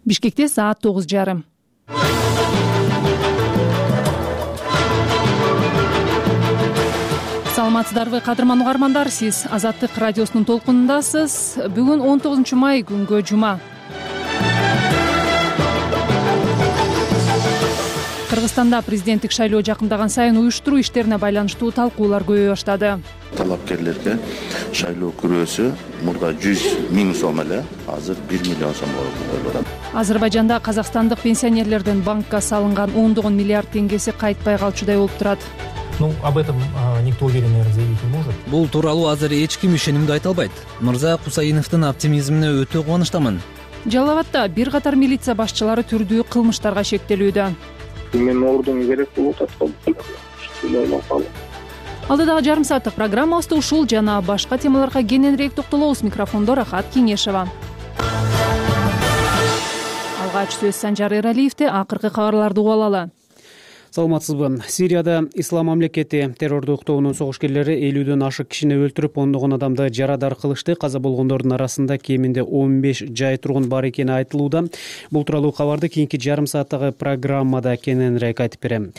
Бишкекте саат 9:30. Саламатсыздарбы, кадырман угармандар, сиз Азаттык радиосунун толкунундасыз. Бүгүн 19 май күнгө жума. Кыргызстанда президенттик шайлоо жакындаган сайын уюштуруу иштерине байланыштуу талкуулар көбөйө баштады. Талапкерлерге шайлоо күрөөсү мурда 100 000 сом эле, азыр 1 миллион сом болуп атат. Азербайжанда казакстандык пенсионерлердин банкка салынган ондогон миллиард теңгеси кайтпай калчудай болуп турат. Об этом никто уверенно заявить не может. Бул тууралуу азыр эч ким ишенимдүү айта албайт. Мырза Кусаиновдун оптимизмине өтө кубанычтамын. Жалал Абадта бир катар милиция башчылары түрдүү кылмыштарга шектелүүдө. Мен ордун керек болуп атат. Алдыдагы жарым сааттык программабызда ушул жана башка темаларга кененирээк токтолобуз. Микрофондо Рахат Кеңешева. Алгач сөз Санжар Эралиевде. Акыркы кабарларды угуп алалы. Саламатсызбы. Сирияда Ислам мамлекети террордук тобунун согушкерлери 50дөн ашык кишини өлтүрүп, ондогон адамды жарадар кылышты. Каза болгондордун арасында кеминде 15 жай тургун бар экени айтылууда. Бул тууралуу кабарды кийинки жарым сааттагы программада кененирээк айтып берем.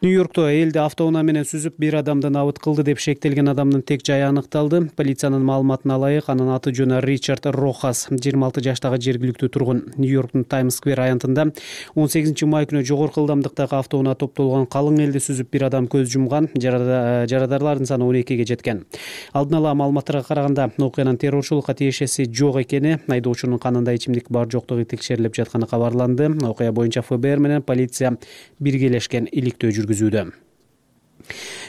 Нью-Йоркто элди автоунаа менен сүзүп, бир адамды набыт кылды деп шектелген адамдын тек жайы аныкталды. Полициянын маалыматына ылайык, анын аты жөнү Ричард Рохас, 26 жаштагы жергиликтүү тургун. Нью-Йорктун Таймс-сквер аянтында 18 май күнү жогорку ылдамдыктагы автоунаа топтолгон калың элди сүзүп, бир адам көз жумган. Жарадарлардын саны 12ге жеткен. Алдын ала маалыматтарга караганда, окуянын террорчулукка тиешеси жок экени, айдоочунун канында ичимдик бар жоктугу текшерилип жатканы кабарланды. Окуя боюнча ФБР менен полиция биргелешкен иликтөө жүргүзүүдө.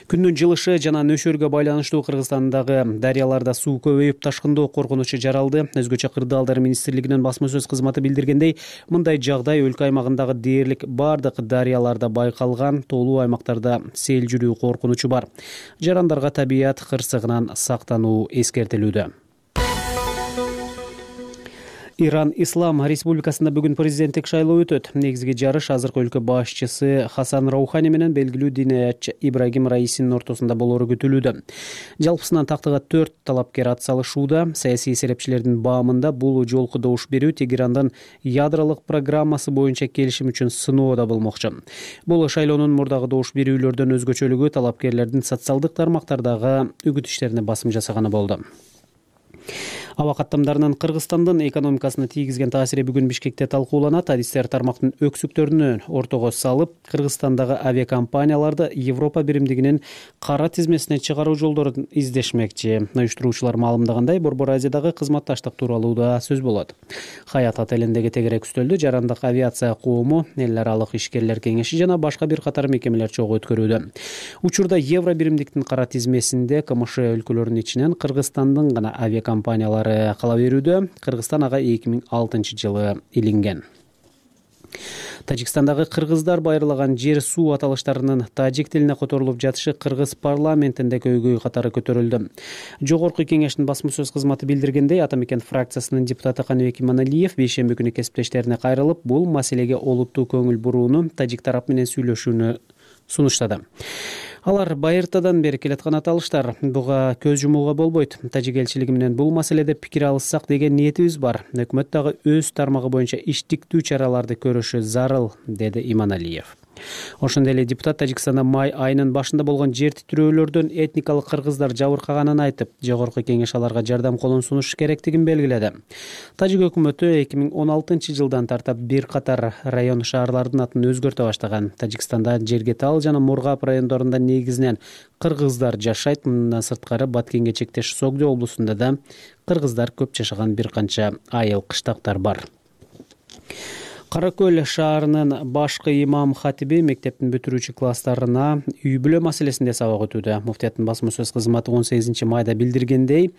Күндүн жылышы жана нөшөргө байланыштуу Кыргызстандагы дарыяларда суу көбөйүп, ташкындоо коркунучу жаралды. Өзгөчө Кырдаалдар министрлигинин басма сөз кызматы билдиргендей, мындай жагдай өлкө аймагындагы дээрлик бардык дарыяларда байкалган. Тоолуу аймактарда сел жүрүү коркунучу бар. Жарандарга табият кырсыгынан сактануу эскертилүүдө. Иран Ислам Республикасында бүгүн президенттик шайлоо өтөт. Негизги жарыш азыркы өлкө башчысы Хасан Роухани менен белгилүү диниятчы Ибрагим Раисинин ортосунда болору күтүлүүдө. Жалпысынан тактыга 4 талапкер ат салышууда. Саясий серепчилердин баамында бул жолку добуш берүү Тегерандын ядролук программасы боюнча келишим үчүн сыноода болмокчу. Бул шайлоонун мурдагы добуш берүүлөрдөн өзгөчөлүгү талапкерлердин социалдык тармактардагы үгүт иштерине басым жасаганы болду. Аба каттамдарынын Кыргызстандын экономикасына тийгизген таасири бүгүн Бишкекте талкууланат. Адистер тармактын өксүктөрүнө ортого салып, Кыргызстандагы авиакомпанияларды Европа биримдигинин кара тизмесине чыгаруу жолдорун издешмекчи. Уюштуруучулар маалымдагандай, Борбор Азиядагы кызматташтык тууралуу да сөз болот. Хаят отелиндеги тегерек үстөлдү Жарандык авиация коому, эл аралык ишкерлер кеңеши жана башка бир катар мекемелер чогуу өткөрүүдө. Учурда Евро биримдиктин кара тизмесинде КМШ өлкөлөрүнүн ичинен Кыргызстандын гана авиакомпаниялары кала берүүдө. Кыргызстан ага 2006 жылы илинген. Тажикстандагы кыргыздар байырлаган жер суу аталыштарынын тажик тилине которулуп жатышы Кыргыз парламентинде көйгөй катары көтөрүлдү. Жогорку кеңештин басма сөз кызматы билдиргендей, Атамекен фракциясынын депутаты Каныбек Иманалиев бейшемби күнү кесиптештерине кайрылып, бул маселеге олуттуу көңүл бурууну, тажик тарап менен сүйлөшүүнү сунуштады. Алар байыртадан бери келаткан аталыштар, буга көз жумууга болбойт. Тажик элчилиги менен бул маселеде пикир алышсак деген ниетибиз бар. Өкмөт дагы өз тармагы боюнча иштиктүү чараларды көрүшү зарыл, деди Иманалиев. Ошондой эле депутат Тажикстанда май айынын башында болгон жер титирөөлөрдөн этникалык кыргыздар жабыркаганын айтып, жогорку кеңеш аларга жардам колун сунуш керектигин белгиледи. Тажик өкмөтү 2016 жылдан тартап бир катар район шаарлардын атын өзгөртө баштаган. Тажикстанда Жергетал жана Мургап райондорунда негизинен кыргыздар жашайт. Мындан сырткары Баткенге чектеш Согдо облусунда да кыргыздар көп жашаган бир канча айыл кыштактар бар. Кара Көл шаарынын башкы имам хатиби мектептин бүтүрүүчү класстарына үй-бүлө маселесинде сабак өтүүдө. Муфтияттын басма сөз кызматы 18 майда билдиргендей,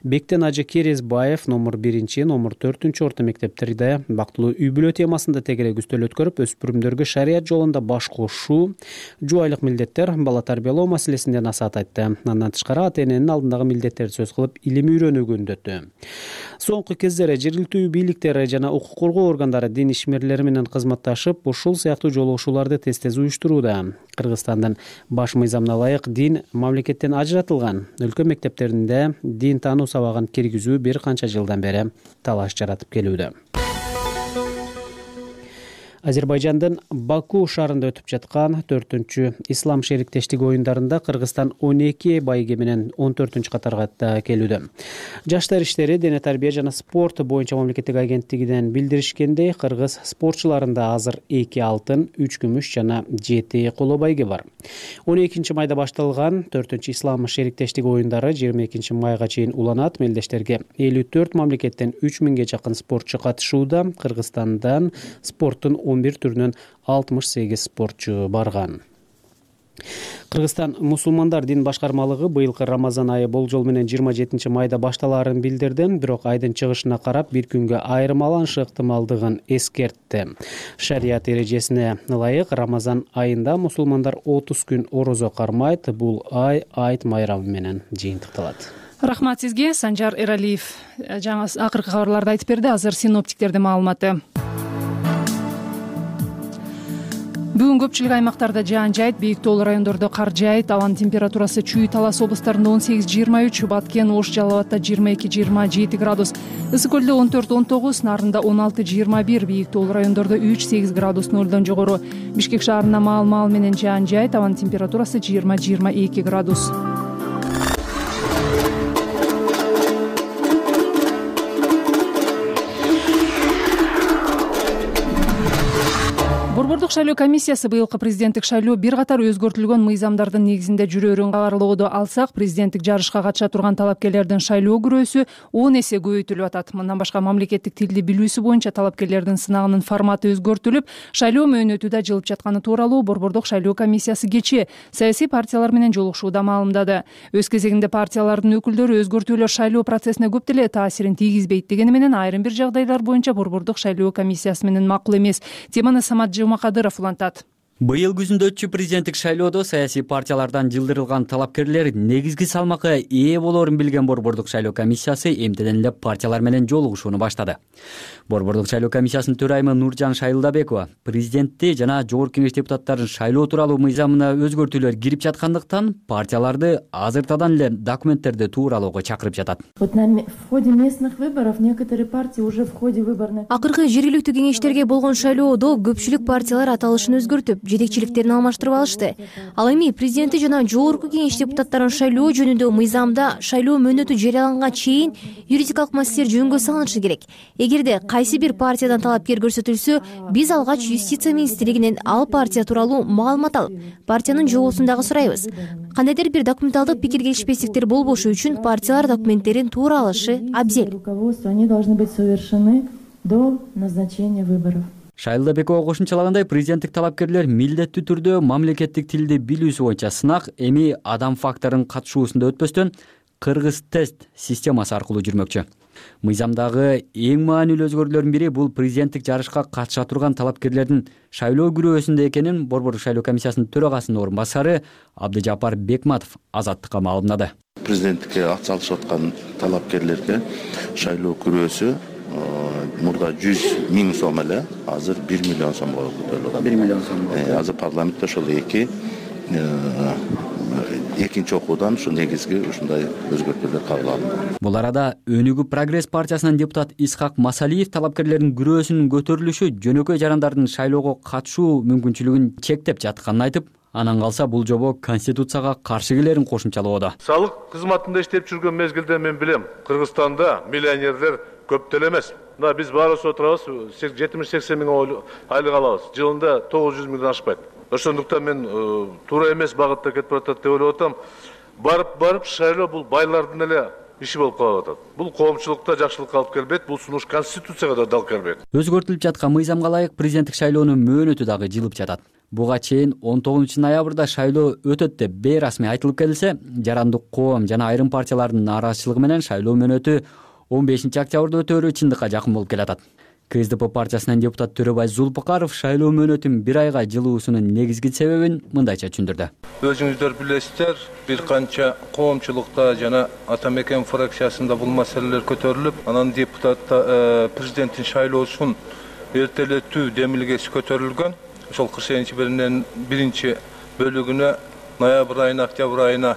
Бектен Ажы Керезбаев номер 1, номер 4 орто мектептерде бактылуу үй-бүлө темасында тегерек үстөл өткөрүп, өспүрүмдөргө шарият жолунда баш кошуу, жубайлык милдеттер, бала тарбиялоо маселесинде насаат айтты. Андан тышкары ата-эненин алдындагы милдеттерди сөз кылып, илим үйрөнүүгө үндөттү. Соңку кездери жергиликтүү бийликтер жана укук коргоо органдары дин ишмерлери менен кызматташып, ушул сыяктуу жолугушууларды тез-тез уюштурууда. Кыргызстандын баш мыйзамына ылайык дин мамлекеттен ажыратылган. Өлкө мектептеринде дин таануу сабагын киргизүү бир канча жылдан бери талаш жаратып келүүдө. Азербайжандын Баку шаарында өтүп жаткан 4-чү ислам шериктештиги оюндарында Кыргызстан 12 байге менен 14-катарга келүүдө. Жаштар иштери, дене тарбия жана спорт боюнча мамлекеттик агенттигинен билдиришкендей, кыргыз спортчуларында азыр 2 алтын, 3 күмүш жана 7 коло байге бар. 12-майда башталган 4-чү ислам шериктештиги оюндары 22 майга чейин уланат. Мелдештерге 54 мамлекеттен 3000ге жакын спортчу катышууда. Кыргызстандан спорттун 11 түрүнөн 68 спортчу барган. Кыргызстан мусулмандар дин башкармалыгы быйылкы Рамазан айы болжол менен 27 майда башталаарын билдирди. Бирок айдын чыгышына карап бир күнгө айырмаланышы ыктымалдыгын эскертти. Шарият эрежесине ылайык Рамазан айында мусулмандар 30 күн орозо кармайт. Бул ай айт майрамы менен жыйынтыкталат. Рахмат сизге, Санжар Эралиев. Жаңы акыркы кабарларды айтып берди. Азыр синоптиктердин маалыматы. Бүгүн көпчүлүк аймактарда жаан жайт, бийик тоолуу райондордо кар жайт. Абанын температурасы Чүй, Талас областарында 18-23, Баткен, Ош, Жалал Абадта 22-27 градус, Ысык көлдө 14-19, Нарында 16-21, бийик тоолуу райондордо 3-8 градус нөлдөн жогору. Бишкек шаарында маал менен жаан жайт, абанын температурасы 20-22 градус. Борбордук шайлоо комиссиясы быйылкы президенттик шайлоо бир катар өзгөртүлгөн мыйзамдардын негизинде жүрөөрүн кабарлоодо алсак, президенттик жарышка катыша турган талапкерлердин шайлоо күрөөсү 10 эсе көбөйтүлүп атат. Мындан башка мамлекеттик тилди билүүсү боюнча талапкерлердин сынагынын форматы өзгөртүлүп, шайлоо мөөнөтү да жылып жатканы тууралуу Борбордук шайлоо комиссиясы кечээ саясий партиялар менен жолугушууда маалымдады. Өз кезегинде партиялардын өкүлдөрү өзгөртүүлөр шайлоо процессине көп деле таасирин тийгизбейт дегени менен айрым бир жагдайлар боюнча Борбордук шайлоо комиссиясы менен макул эмес. Теманы Самат Жумакадыров улантат. Быйыл күзүндө өтчү президенттик шайлоодо саясий партиялардан жылдырылган талапкерлер негизги салмакка ээ болоорун билген Борбордук шайлоо комиссиясы эмтеден эле партиялар менен жолугушууну баштады. Борбордук шайлоо комиссиясынын төрайымы Нуржан Шайылдабекова президентти жана жогорку кеңеш депутаттарын шайлоо тууралуу мыйзамына өзгөртүүлөр кирип жаткандыктан партияларды азыртадан эле документтерди тууралоого чакырып жатат. Акыркы жергиликтүү кеңештерге болгон шайлоодо көпчүлүк партиялар аталышын өзгөртүп, жетекчиликтерин алмаштырып алышты. Ал эми президенти жана жогорку кеңеш депутаттарын шайлоо жөнүндө мыйзамда шайлоо мөөнөтү жарыяланганга чейин юридикалык маселелер жөнгө салынышы керек. Эгерде кайсы бир партиядан талапкер көрсөтүлсө, биз алгач юстиция министрлигинен ал партия тууралуу маалымат алып, партиянын жобосун дагы сурайбыз. Кандайдыр бир документалдык пикир келишпестиктер болбошу үчүн партиялар документтерин туура алышы абзел. Они должны быть совершены до назначения выборов. Шайылдабекова кошумчалагандай, президенттик талапкерлер милдеттүү түрдө мамлекеттик тилди билүүсү боюнча сынак эми адам факторунун катышуусунда өтпөстөн кыргыз тест системасы аркылуу жүрмөкчү. Мыйзамдагы эң маанилүү өзгөрүүлөрдүн бири бул президенттик жарышка катыша турган талапкерлердин шайлоо күрөөсүндө экенин Борбордук шайлоо комиссиясынын төрагасынын орун басары Абдыжапар Бекматов Азаттыкка маалымдады. Президенттикке ат салышып аткан талапкерлерге шайлоо күрөөсү мурда 100 000 сом эле, азыр 1 миллион сом болуп көтөрүлөт. 1 миллион сом. Азыр парламентте ошол экинчи окуудан ушу негизги ушундай өзгөртүүлөр кабыл алынды. Бул арада Өнүгүү Прогресс партиясынын депутат Исхак Масалиев талапкерлердин күрөөсүнүн көтөрүлүшү жөнөкөй жарандардын шайлоого катышуу мүмкүнчүлүгүн чектеп жатканын айтып, анан калса бул жобо конституцияга каршы келерин кошумчалоодо. Салык кызматында иштеп жүргөн мезгилде мен билем, Кыргызстанда миллионерлер көп деле эмес. Мына биз баарыбыз отурабыз, 70-80 миң айлык алабыз. Жылында 900 миңден ашпайт. Ошондуктан мен туура эмес багытта кетип атат деп ойлоп атам. Барып шайлоо бул байлардын эле иши болуп калып атат. Бул коомчулукта жакшылыкка алып келбейт, бул сунуш конституцияга да алып келбейт. Өзгөртүлүп жаткан мыйзамга ылайык президенттик шайлоонун мөөнөтү дагы жылып жатат. Буга чейин 19 ноябрда шайлоо өтөт деп бейрасмий айтылып келсе, жарандык коом жана айрым партиялардын нааразычылыгы менен шайлоо мөөнөтү 15 октябрда өтөөрү чындыкка жакын болуп келатат. КСДП партиясынын депутат Төрөбай Зулпукаров шайлоо мөөнөтүн бир айга жылуусунун негизги себебин мындайча түшүндүрдү. Өзүңүздөр билесиздер, бир канча коомчулукта жана Ата Мекен фракциясында бул маселелер көтөрүлүп, анан президенттин шайлоосун эртелетүү демилгеси көтөрүлгөн. Ошол кышенчи биринчи бөлүгүнө ноябрь айына, октябрь айына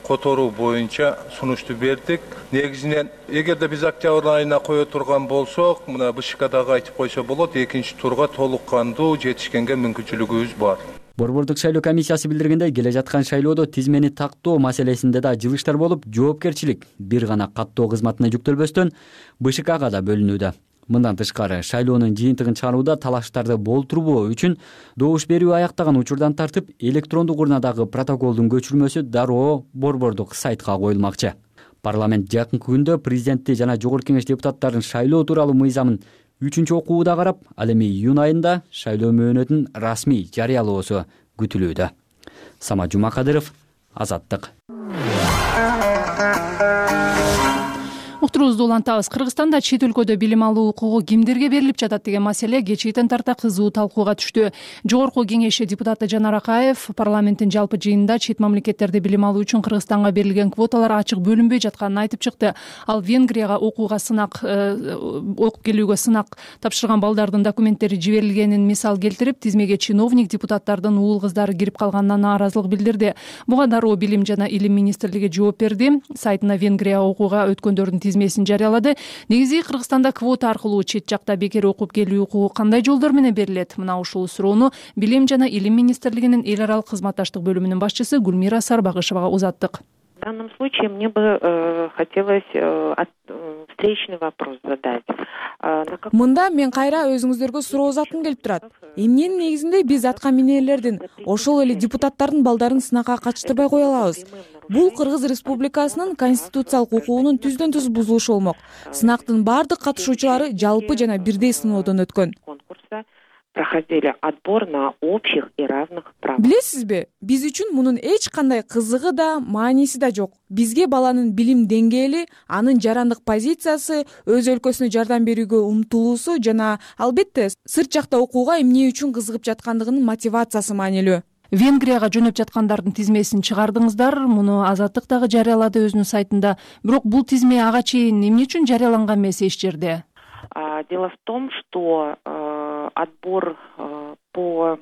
которуу боюнча сунушту бердик. Негизинен эгерде биз октябрь айына кое турган болсок, мына БШКдагы айтып койсо болот, экинчи турга толук кандуу жетишкенге мүмкүнчүлүгүбүз бар. Борбордук шайлоо комиссиясы билдиргендей, келе жаткан шайлоодо тизмени тактоо маселесинде да жылыштар болуп, жоопкерчилик бир гана каттоо кызматына жүктөлбөстөн БШКга да бөлүнүүдө. Мындан тышкары, шайлоонун жыйынтыгын чыгарууда талаштарды болтурбоо үчүн добуш берүү аяктаган учурдан тартып, электрондук урнадагы протоколдун көчүрмөсү дароо борбордук сайтка коюлмакчы. Парламент жакынкы күндө президентти жана жогорку кеңеш депутаттарын шайлоо тууралуу мыйзамын 3-окууда карап, ал эми июнь айында шайлоо мөөнөтүн расмий жарыялоосу күтүлүүдө. Самат Жумакадыров, Азаттык. Уктуруубузду улантабыз. Кыргызстанда чет өлкөдө билим алуу укугу кимдерге берилип жатат деген маселе кечээден тарта кызуу талкууга түштү. Жогорку кеңеш депутаты Жанар Акаев парламенттин жалпы жыйынында чет мамлекеттерде билим алуу үчүн Кыргызстанга берилген квоталар ачык бөлүнбөй жатканын айтып чыкты. Ал Венгрияга окуп келүүгө сынак тапшырган балдардын документтери жиберилгенин мисал келтирип, тизмеге чиновник депутаттардын уул кыздары кирип калганына нааразылык билдирди. Буга дароо Билим жана Илим министрлиги жооп берди. Сайтына Венгрия окууга өткөндөрдүн тизмесин жарыялады. Негизи Кыргызстанда квота аркылуу чет жакта бекер окуп келүү укугу кандай жолдор менен берилет? Мына ушул суроону Билим жана Илим министрлигинин эл аралык кызматташтык бөлүмүнүн башчысы Гүлмира Сарбагышевага узаттык. В данном случае мне бы хотелось встречный вопрос задать. Мында мен кайра өзүңүздөргө суроо узаткым келип турат. Эмненин негизинде биз атка минерлердин, ошол эле депутаттардын балдарын сынакка катыштырбай кое алабыз? Бул Кыргыз Республикасынын конституциялык укугунун түздөн түз бузулушу болмок. Сынактын бардык катышуучулары жалпы жана бирдей сыноодон өткөн. Проходили отбор на общих и равных правах. Билесизби, биз үчүн мунун эч кандай кызыгы да, мааниси да жок. Бизге баланын билим деңгээли, анын жарандык позициясы, өз өлкөсүнө жардам берүүгө умтулуусу жана албетте сырт жакта окууга эмне үчүн кызыгып жаткандыгынын мотивациясы маанилүү. Венгрияга жөнөп жаткандардын тизмесин чыгардыңыздар. Муну Азаттык дагы жарыялады өзүнүн сайтында. Бирок бул тизме ага чейин эмне үчүн жарыяланган эмес эч жерде? Дело в том, что отбор по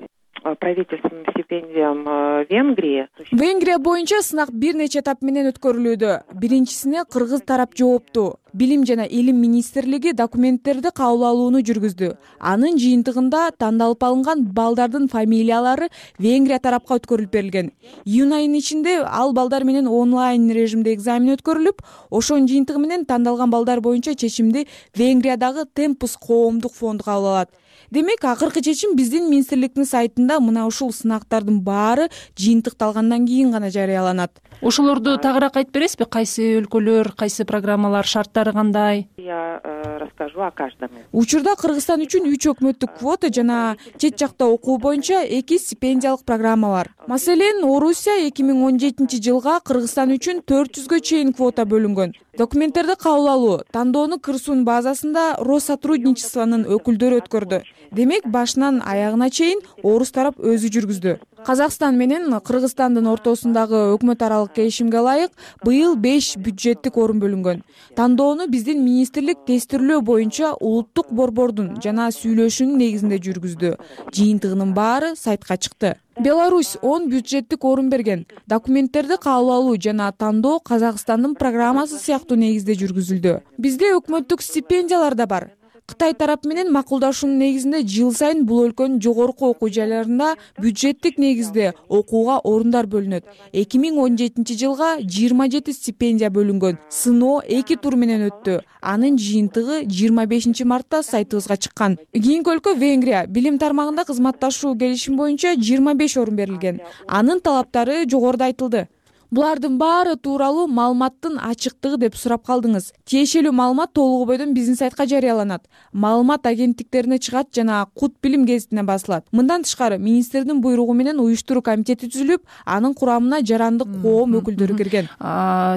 правительственным стипендиям Венгрии. Венгрия боюнча сынак бир нече этап менен өткөрүлүүдө. Биринчисине кыргыз тарап жоопту. Билим жана Илим министрлиги документтерди кабыл алууну жүргүздү. Анын жыйынтыгында тандалып алынган балдардын фамилиялары Венгрия тарапка өткөрүлүп берилген. Июнь айынын ичинде ал балдар менен онлайн режимде экзамен өткөрүлүп, ошонун жыйынтыгы менен тандалган балдар боюнча чечимди Венгриядагы Темпус коомдук фонду кабыл алат. Демек, акыркы чечим биздин министрликтин сайтында мына ушул сынактардын баары жыйынтыкталгандан кийин гана жарыяланат. Ошолорду тагыраак айтып бересизби? Кайсы өлкөлөр, кайсы программалар, шарттары кандай? Я расскажу о каждом. Учурда Кыргызстан үчүн 3 өкмөттүк квота жана чет жакта окуу боюнча 2 стипендиялык программа бар. Маселен, Орусия 2017 жылга Кыргызстан үчүн 400гө чейин квота бөлүнгөн. Документтерди кабыл алуу, тандоону Кырсун базасында Россотрудничествонун өкүлдөрү өткөрдү. Демек, башынан аягына чейин орус тарап өзү жүргүздү. Казакстан менен Кыргызстандын ортосундагы өкмөт аралык келишимге ылайык быйыл 5 бюджеттик орун бөлүнгөн. Тандоону биздин министрлик тестирлөө боюнча улуттук борбордун жана сүйлөшүүнүн негизинде жүргүздү. Жыйынтыгынын баары сайтка чыкты. Беларусь 10 бюджеттик орун берген. Документтерди кабыл алуу жана тандоо Казакстандын программасы сыяктуу негизде жүргүзүлдү. Бизде өкмөттүк стипендиялар да бар. Кытай тарап менен макулдашуунун негизинде жыл сайын бул өлкөнүн жогорку окуу жайларында бюджеттик негизде окууга орундар бөлүнөт. 2017 жылга 27 стипендия бөлүнгөн. Сыноо 2 тур менен өттү. Анын жыйынтыгы 25 мартта сайтыбызга чыккан. Кийинки өлкө Венгрия. Билим тармагында кызматташуу келишим боюнча 25 орун берилген. Анын талаптары жогоруда айтылды. Булардын баары тууралуу маалыматтын ачыктыгы деп сурап калдыңыз. Тиешелүү маалымат толугу бойдон биздин сайтка жарыяланат. Маалымат агенттиктерине чыгат жана Кут билим гезитине басылат. Мындан тышкары министрдин буйругу менен уюштуруу комитети түзүлүп, анын курамына жарандык коом өкүлдөрү кирген.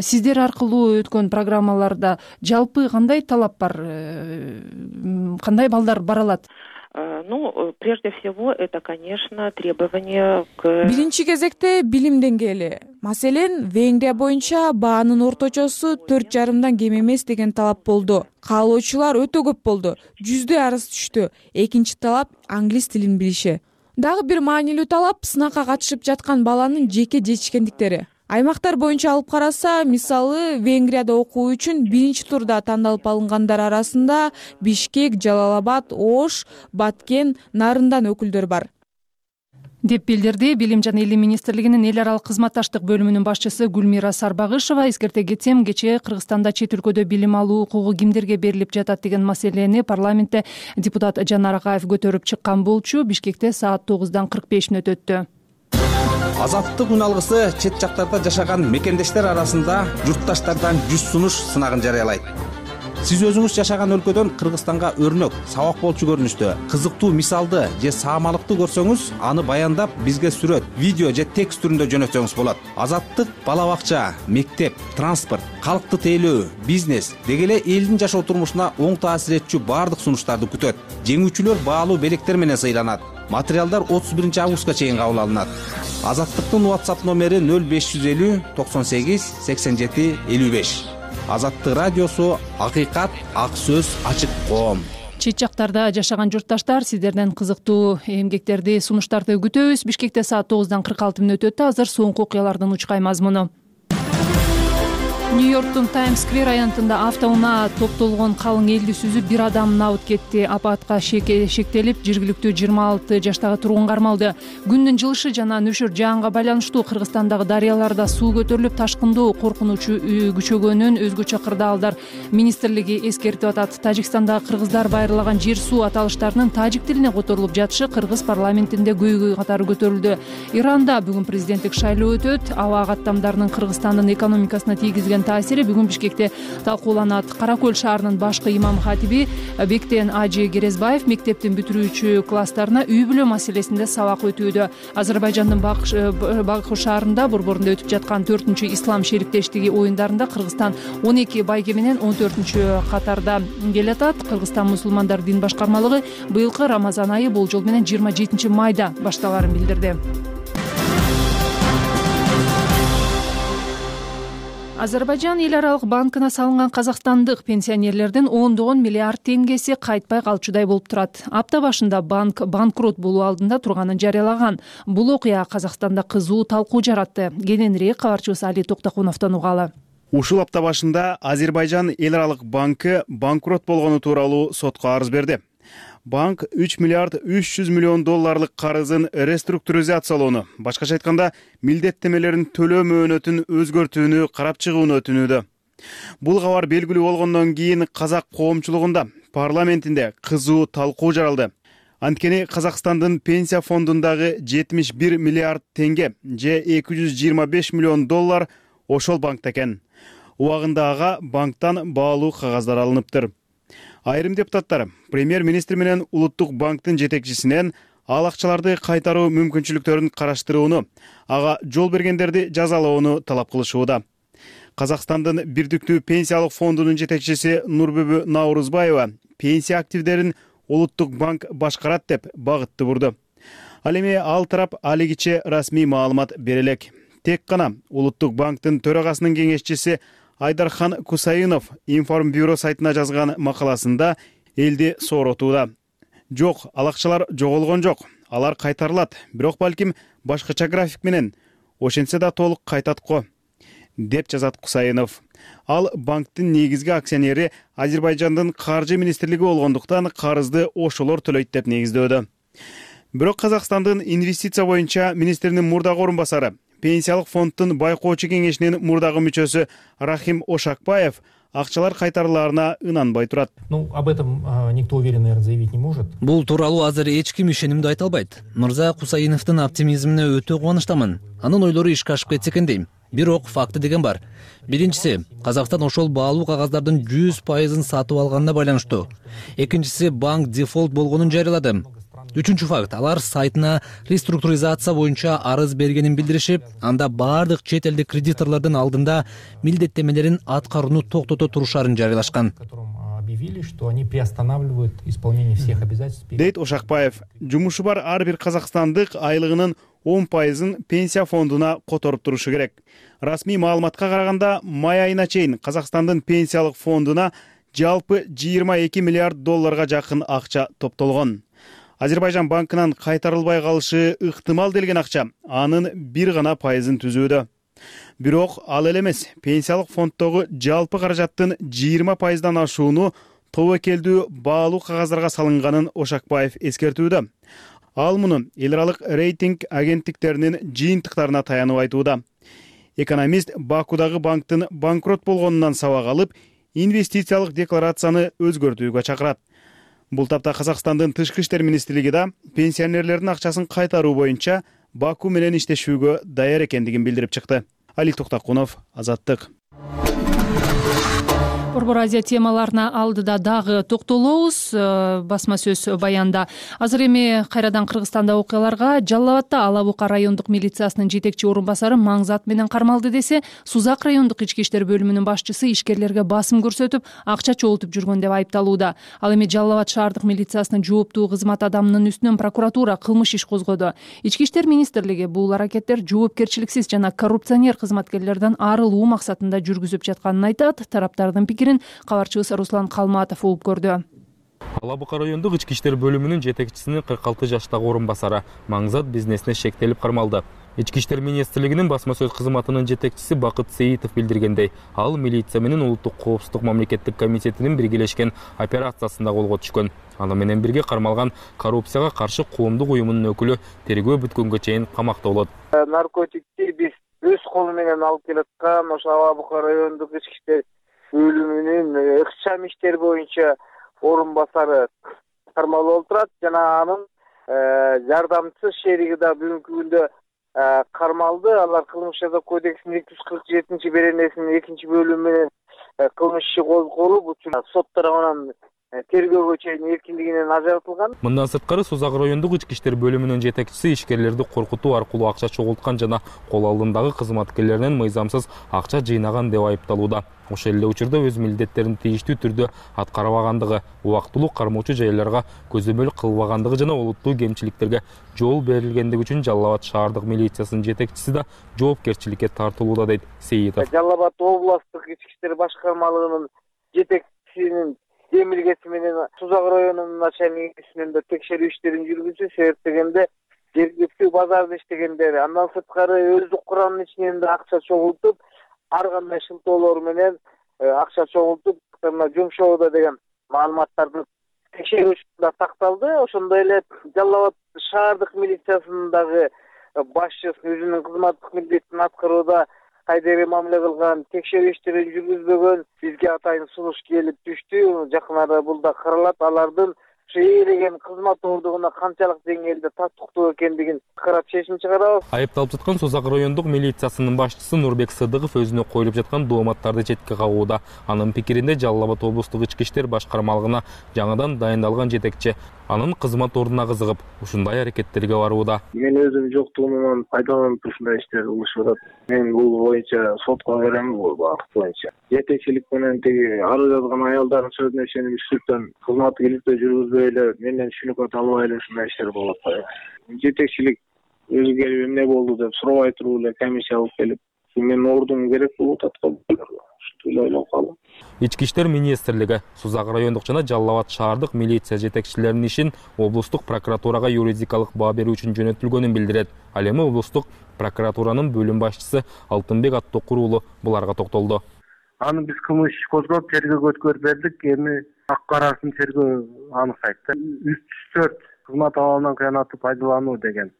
Сиздер аркылуу өткөн программаларда жалпы кандай талап бар? Кандай балдар бара алат? Ну, прежде всего, это, конечно, требование к... Биринчи кезекте билим деңгээли. Маселен, Венгрия боюнча баанын орточосу 4,5 кем эмес деген талап болду. Каалоочулар өтө көп болду. 100 арыз түштү. Экинчи талап англис тилин билиши. Дагы бир маанилүү талап сынакка катышып жаткан баланын жеке жетишкендиктери. Аймактар боюнча алып караса, мисалы Венгрияда окуу үчүн биринчи турда тандалып алынгандар арасында Бишкек, Жалал-Абад, Ош, Баткен, Нарындан өкүлдөр бар деп билдирди Билим жана Илим министрлигинин эл аралык кызматташтык бөлүмүнүн башчысы Гүлмира Сарбагышева. Эскерте кетсем, кечээ Кыргызстанда чет өлкөдө билим алуу укугу кимдерге берилип жатат деген маселени парламентте депутат Жанар Акаев көтөрүп чыккан болчу. Бишкекте саат 9:45 өтөттү. Азаттык үн алгысы чет жактарда жашаган мекендештер арасында журтташтардан 100 сунуш сынагын жарыялайт. Сиз өзүңүз жашаган өлкөдөн Кыргызстанга өрнөк, сабак болчу көрүнүштө, кызыктуу мисалды же саамалыкты көрсөңүз, аны баяндап бизге сүрөт, видео же текст түрүндө жөнөтсөңүз болот. Азаттык бала бакча, мектеп, транспорт, калкты тейлөө, бизнес деги эле элдин жашоо турмушуна оң таасир этчү баардык сунуштарды күтөт. Жеңүүчүлөр баалуу белектер менен сыйланат. Материалдар 31 августка чейин кабыл алынат. Азаттыктын WhatsApp номери 0550 98 87 55. Азаттык радиосу, акыйкат, ак сөз, ачык коом. Чет жактарда жашаган журтташтар, сиздерден кызыктуу эмгектерди, сунуштарды күтөбүз. Бишкекте саат 9:46 өтөттү. Азыр соңку окуялардын учкай мазмуну. Нью-Йорктун Таймс-сквер аянтында автоунаа топтолгон калың элди сүзүп, бир адам набыт кетти. Апатка шектелип, жергиликтүү 26 жаштагы тургун кармалды. Күндүн жылышы жана нөшөр жаанга байланыштуу Кыргызстандагы дарыяларда суу көтөрүлүп, ташкындоо коркунучу күчөгөнүн өзгөчө кырдаалдар министрлиги эскертип атат. Тажикстандагы кыргыздар байырлаган жер суу аталыштарынын тажик тилине которулуп жатышы Кыргыз парламентинде көйгөй катары көтөрүлдү. Иранда бүгүн президенттик шайлоо өтөт. Аба каттамдарынын Кыргызстандын экономикасына тийгизген таасири бүгүн Бишкекте талкууланат. Каракөл шаарынын башкы имам хатиби Бектен Ажи Керезбаев мектептин бүтүрүүчү класстарына үй бүлө маселесинде сабак өтүүдө. Азербайжандын Баку шаарында борборунда өтүп жаткан 4-чү ислам шериктештиги оюндарында Кыргызстан 12 байге менен 14-чү катарда келатат. Кыргызстан мусулмандар дин башкармалыгы быйылкы Рамазан айы болжол менен 27 майда башталарын билдирди. Азербайжан эл аралык банкына салынган казакстандык пенсионерлердин ондогон миллиард теңгеси кайтпай калчудай болуп турат. Апта башында банк банкрот болуу алдында турганын жарыялаган. Бул окуя Казакстанда кызуу талкуу жаратты. Кененирээк кабарчыбыз Али Токтокуновдон угалы. Ушул апта башында Азербайжан эл аралык банкы банкрот болгону тууралуу сотко арыз берди. Банк 3 миллиард 300 миллион долларлык карызын реструктуризациялоону, башкача айтканда, милдеттемелерин төлөө мөөнөтүн өзгөртүүнү карап чыгууну өтүнүүдө. Бул кабар белгилүү болгондон кийин казак коомчулугунда парламентинде кызуу талкуу жаралды. Анткени Казакстандын пенсия фондундагы 71 миллиард теңге же 225 миллион доллар ошол банкта экен. Убагында ага банктан баалуу кагаздар алыныптыр. Айрым депутаттар премьер-министр менен Улуттук банктын жетекчисинен ал акчаларды кайтаруу мүмкүнчүлүктөрүн караштырууну, ага жол бергендерди жазалоону талап кылышууда. Казакстандын Бирдиктүү пенсиялык фондунун жетекчиси Нурбүбү Наурузбаева пенсия активдерин Улуттук банк башкарат деп багытты бурду. Ал эми ал тарап алигиче расмий маалымат бере элек. Тек гана Улуттук банктын төрагасынын кеңешчиси Айдархан Кусайынов Информбюро сайтына жазган макаласында элди сооротууда. Жок, ал акчалар жоголгон жок. Алар кайтарылат, бирок балким башкача график менен. Ошентсе да толук кайтат го, деп жазат Кусайынов. Ал банктын негизги акционери Азербайжандын каржы министрлиги болгондуктан карызды ошолор төлөйт деп негиздөөдө. Бирок Казакстандын инвестиция боюнча министринин мурдагы орун басары, Пенсиялык фонддун байкоочу кеңешинин мурдагы мүчөсү Рахим Ошакбаев акчалар кайтарылаарына ынанбай турат. Об этом никто уверенно, наверное, заявить не может. Бул тууралуу азыр эч ким ишенимдүү айта албайт. Мырза Кусайыновдун оптимизмине өтө кубанычтамын. Анын ойлору ишке ашып кетсе экен дейм. Бирок факты деген бар. Биринчиси, Казакстан ошол баалуу кагаздардын 100% сатып алганына байланыштуу. Экинчиси, банк дефолт болгонун жарыялады. Үчүнчү факт, алар сайтына реструктуризация боюнча арыз бергенин билдиришип, анда баардык чет элдик кредиторлордун алдында милдеттемелерин аткарууну токтото турушарын жарыялашкан. Объявили, что они приостанавливают исполнение всех обязательств. Дейт Ошакбаев, жумушу бар ар бир казакстандык айлыгынын 10%-ын пенсия фондуна которуп турушу керек. Расмий маалыматка караганда, май айына чейин Казакстандын пенсиялык фондуна жалпы 22 миллиард долларга жакын акча топтолгон. Азербайжан банкынан кайтарылбай калышы ыктымал делген акча анын 1% түзүүдө. Бирок ал эле эмес, пенсиялык фонддогу жалпы каражаттын 20% ашууну тобокелдүү баалуу кагаздарга салынганын Ошакбаев эскертүүдө. Ал муну эл аралык рейтинг агенттиктеринин жыйынтыктарына таянып айтууда. Экономист Бакудагы банктын банкрот болгонунан сабак алып, инвестициялык декларацияны өзгөртүүгө чакырат. Бул тапта Казакстандын Тышкы иштер министрлиги да пенсионерлердин акчасын кайтаруу боюнча Баку менен иштешүүгө даяр экендигин билдирип чыкты. Али Токтакунов, Азаттык. Борбор Азия темаларына алдыда дагы токтолобуз. Басма сөз баянда. Азыр эми кайрадан Кыргызстанда окуяларга Жалал Абадда Ала Бука райондук милициясынын жетекчи орун басары Маңзат менен кармалды десе, Сузак райондук ички иштер бөлүмүнүн башчысы ишкерлерге басым көрсөтүп, акча чогултуп жүргөн деп айыпталууда. Ал эми Жалал Абад шаардык милициясынын жооптуу кызмат адамынын үстүнөн прокуратура кылмыш иш козгоду. Ички иштер министрлиги бул аракеттер жоопкерчиликсиз жана коррупционер кызматкерлерден арылуу максатында жүргүзүп жатканын айтат. Тараптардын пикирин кабарчыбыз Руслан Калматов угуп көрдү. Ала Бука райондук ички иштер бөлүмүнүн жетекчисинин 46 жаштагы орун басары Маңзат бизнесине шектелип кармалды. Ички иштер министрлигинин басма сөз кызматынын жетекчиси Бакыт Сейитов билдиргендей, ал милиция менен улуттук коопсуздук мамлекеттик комитетинин биргелешкен операциясында колго түшкөн. Аны менен бирге кармалган коррупцияга каршы коомдук уюмунун өкүлү тергөө бүткөнгө чейин камакта болот. Наркотикти биз өз колу менен алып келаткан ошо Ала Бука райондук ички иштер бөлүмүнүн ыкчам иштер боюнча орун басары кармалып отурат жана анын жардамчысы шериги да бүгүнкү күндө кармалды. Алар кылмыш жаза кодексинин 247 беренесинин 2-бөлүмү менен кылмыш иши козголуп, учур сот тарабынан тергөөгө чейин эркиндигинен ажыратылган. Мындан сырткары Сузак райондук ички иштер бөлүмүнүн жетекчиси ишкерлерди коркутуу аркылуу акча чогулткан жана кол алдындагы кызматкерлеринен мыйзамсыз акча жыйнаган деп айыпталууда. Ошол эле учурда өз милдеттерин тийиштүү түрдө аткарбагандыгы, убактылуу кармоочу жайларга көзөмөл кылбагандыгы жана олуттуу кемчиликтерге жол берилгендиги үчүн Жалал Абад шаардык милициясынын жетекчиси да жоопкерчиликке тартылууда, дейт Сейитов. Жалал Абад областтык ички иштер башкармалыгынын жетекчисинин демилгеси менен Сузак районунун начальнигинин да текшерүү иштерин жүргүзүү, себеп дегенде жергиликтүү базарда иштегендер, андан сырткары өздүк курамдын ичинен да акча чогултуп, ар кандай шылтоолор менен акча чогултуп жумшоодо деген маалыматтарды текшерүү учурунда такталды. Ошондой эле Жалал Абад шаардык милициясынын дагы башчысы өзүнүн кызматтык милдетин аткарууда кайдери мамиле кылган, текшерүү иштерин жүргүзбөгөн бизге атайын сунуш келип түштү. Жакын арада бул да каралат. Алардын ээлеген кызмат ордугуна канчалык деңгээлде татыктуу экендигин карап чечим чыгарабыз. Айыпталып жаткан Сузак райондук милициясынын башчысы Нурбек Сыдыков өзүнө коюлуп жаткан дооматтарды четке кагууда. Анын пикиринде Жалал Абад облустук ички иштер башкармалыгына жаңыдан дайындалган жетекчи анын кызмат ордуна кызыгып, ушундай аракеттерге барууда. Мен өзүм жоктугумдан пайдаланып ушундай иштер кылышып атат. Мен бул боюнча сотко берем, бул багыт боюнча. Жетекчилик менен тиги арыз жазган аялдардын сөзүнө ишенип үстүртөн кызмат иликтөө жүргүзбөй эле менден шүнүкөт албай эле ушундай иштер болуп атат. Жетекчилик өзү келип эмне болду деп сурабай туруп эле комиссия алып келип, менин ордум керек болуп атат го. Ойлонуп калдым. Ички иштер министрлиги Сузак райондук жана Жалал Абад шаардык милиция жетекчилеринин ишин облустук прокуратурага юридикалык баа берүү үчүн жөнөтүлгөнүн билдирет. Ал эми облустук прокуратуранын бөлүм башчысы Алтынбек Аттокур уулу буларга токтолду. Аны биз кылмыш иш козгоп тергөөгө өткөрүп бердик. Эми ак-карасын тергөө аныктайт да. 304 кызмат абалынан кыянаттуу пайдалануу деген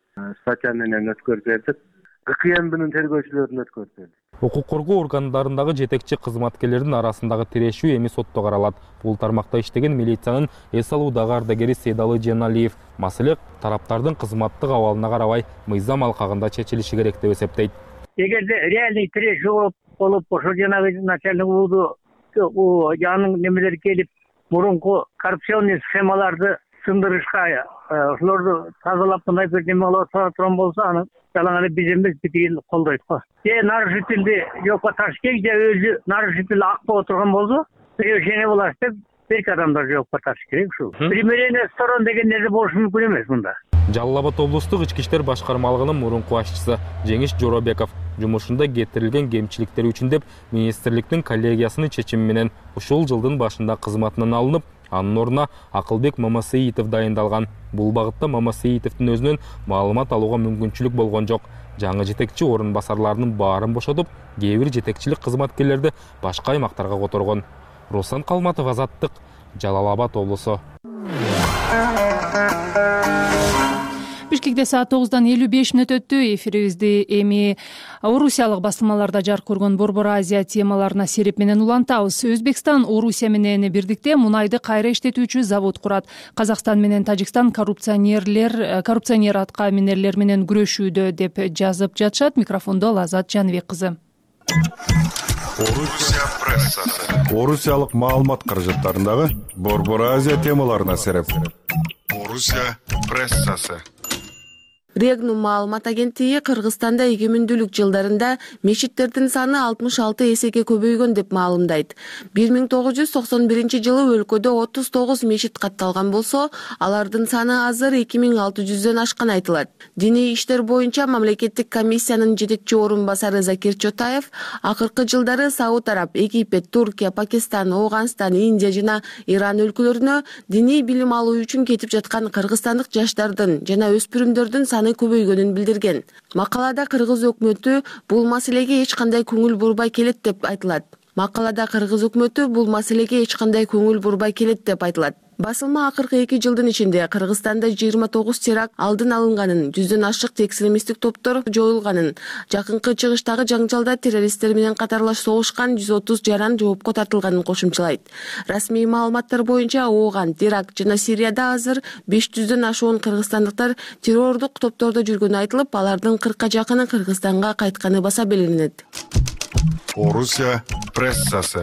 статья менен өткөрүп бердик. КМБнын тергөөчүлөрүн өткөрүп бердик. Укук коргоо органдарындагы жетекчи кызматкерлердин арасындагы тирешүү эми сотто каралат. Бул тармакта иштеген милициянын эс алуудагы ардагери Сейдалы Женалиев маселе тараптардын кызматтык абалына карабай мыйзам алкагында чечилиши керек деп эсептейт. Эгерде реальный тирешүү болуп, ошо жанагы начальник уулу анын немелери келип, мурунку коррупционный схемаларды сындырышка, ошолорду тазалап мындай бир неме кылып турган болсо, аны жалаң эле биз эмес, битигин колдойт го. Нарушительди жокко тартыш керек, же өзү нарушитель ак боло турган болсо, превышение болот деп берки адамдар жокко тартыш керек ушул. Примирение сторон деген нерсе болушу мүмкүн эмес мында. Жалал Абад облустук ички иштер башкармалыгынын мурунку башчысы Жеңиш Жоробеков жумушунда кетирилген кемчиликтер үчүн деп министрликтин коллегиясынын чечими менен ушул жылдын башында кызматынан алынып, анын ордуна Акылбек Мамасеитов дайындалган. Бул багытта Мамасеитовдун өзүнөн маалымат алууга мүмкүнчүлүк болгон жок. жаңы жетекчи орун басарларынын баарын бошотуп, кээ бир жетекчилик кызматкерлерди башка аймактарга которгон. Руслан Калматов, Азаттык, Жалал Абад облусу. Бишкекте саат 9:55 өттү. Эфирибизди эми Орусиялык басылмаларда жарык көргөн Борбор Азия темаларына сереп менен улантабыз. Өзбекстан Орусия менен бирдикте мунайды кайра иштетүүчү завод курат. Казакстан менен Тажикстан коррупционер атка минерлер менен күрөшүүдө деп жазып жатышат. Микрофондо Лазат Жаныбек кызы. Орусия прессасы. Орусиялык маалымат каражаттарындагы Борбор Азия темаларына сереп. Орусия прессасы. Регнум маалымат агенттиги Кыргызстанда эгемендүүлүк жылдарында мечиттердин саны 66 эсеге көбөйгөн деп маалымдайт. 1991 жылы өлкөдө 39 мечит катталган болсо, алардын саны азыр 2600дөн ашкан айтылат. Диний иштер боюнча мамлекеттик комиссиянын жетекчи орун басары Закир Чотаев акыркы жылдары Сауд Араб, Египет, Туркия, Пакистан, Ооганстан, Индия жана Иран өлкөлөрүнө диний билим алуу үчүн кетип жаткан кыргызстандык жаштардын жана өспүрүмдөрдүн саны көбөйгөнүн билдирген. Макалада кыргыз өкмөтү бул маселеге эч кандай көңүл бурбай келет деп айтылат. Басылма акыркы 2 жылдын ичинде Кыргызстанда 29 теракт алдын алынганын, 100дөн ашык экстремисттик топтор жоюлганын, жакынкы чыгыштагы жаңжалда террористтер менен катарлаш согушкан 130 жаран жоопко тартылганын кошумчалайт. Расмий маалыматтар боюнча Ооган, Ирак жана Сирияда азыр 500дөн ашуун кыргызстандыктар террордук топтордо жүргөнү айтылып, алардын 40ка жакыны Кыргызстанга кайтканы баса белгиленет. Орусия прессасы.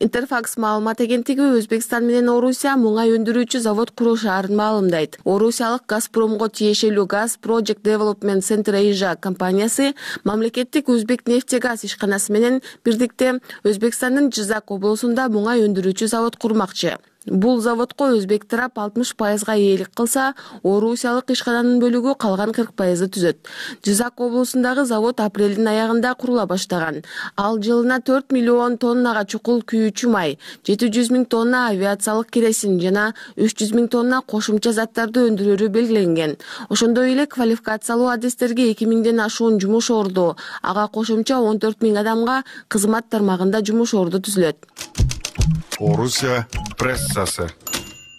Интерфакс маалымат агенттиги Өзбекстан менен Орусия муңай өндүрүүчү завод курушаарын маалымдайт. Орусиялык Газпромго тиешелүү Gas Project Development Center Asia компаниясы мамлекеттик Өзбек нефтегаз ишканасы менен бирдикте Өзбекстандын Жизак облусунда муңай өндүрүүчү завод курмакчы. Бул заводко өзбек тарап 60%га ээлик кылса, орусиялык ишкананын бөлүгү калган 40%ды түзөт. Жизак облусундагы завод апрелдин аягында курула баштаган. Ал жылына 4 миллион тоннага чукул күйүүчү май, 700 миң тонна авиациялык керосин жана 300 миң тонна кошумча заттарды өндүрүүрү белгиленген. Ошондой эле квалификациялуу адистерге 2000ден ашуун жумуш орду, ага кошумча 14 миң адамга кызмат тармагында жумуш орду түзүлөт. Орусия прессасы.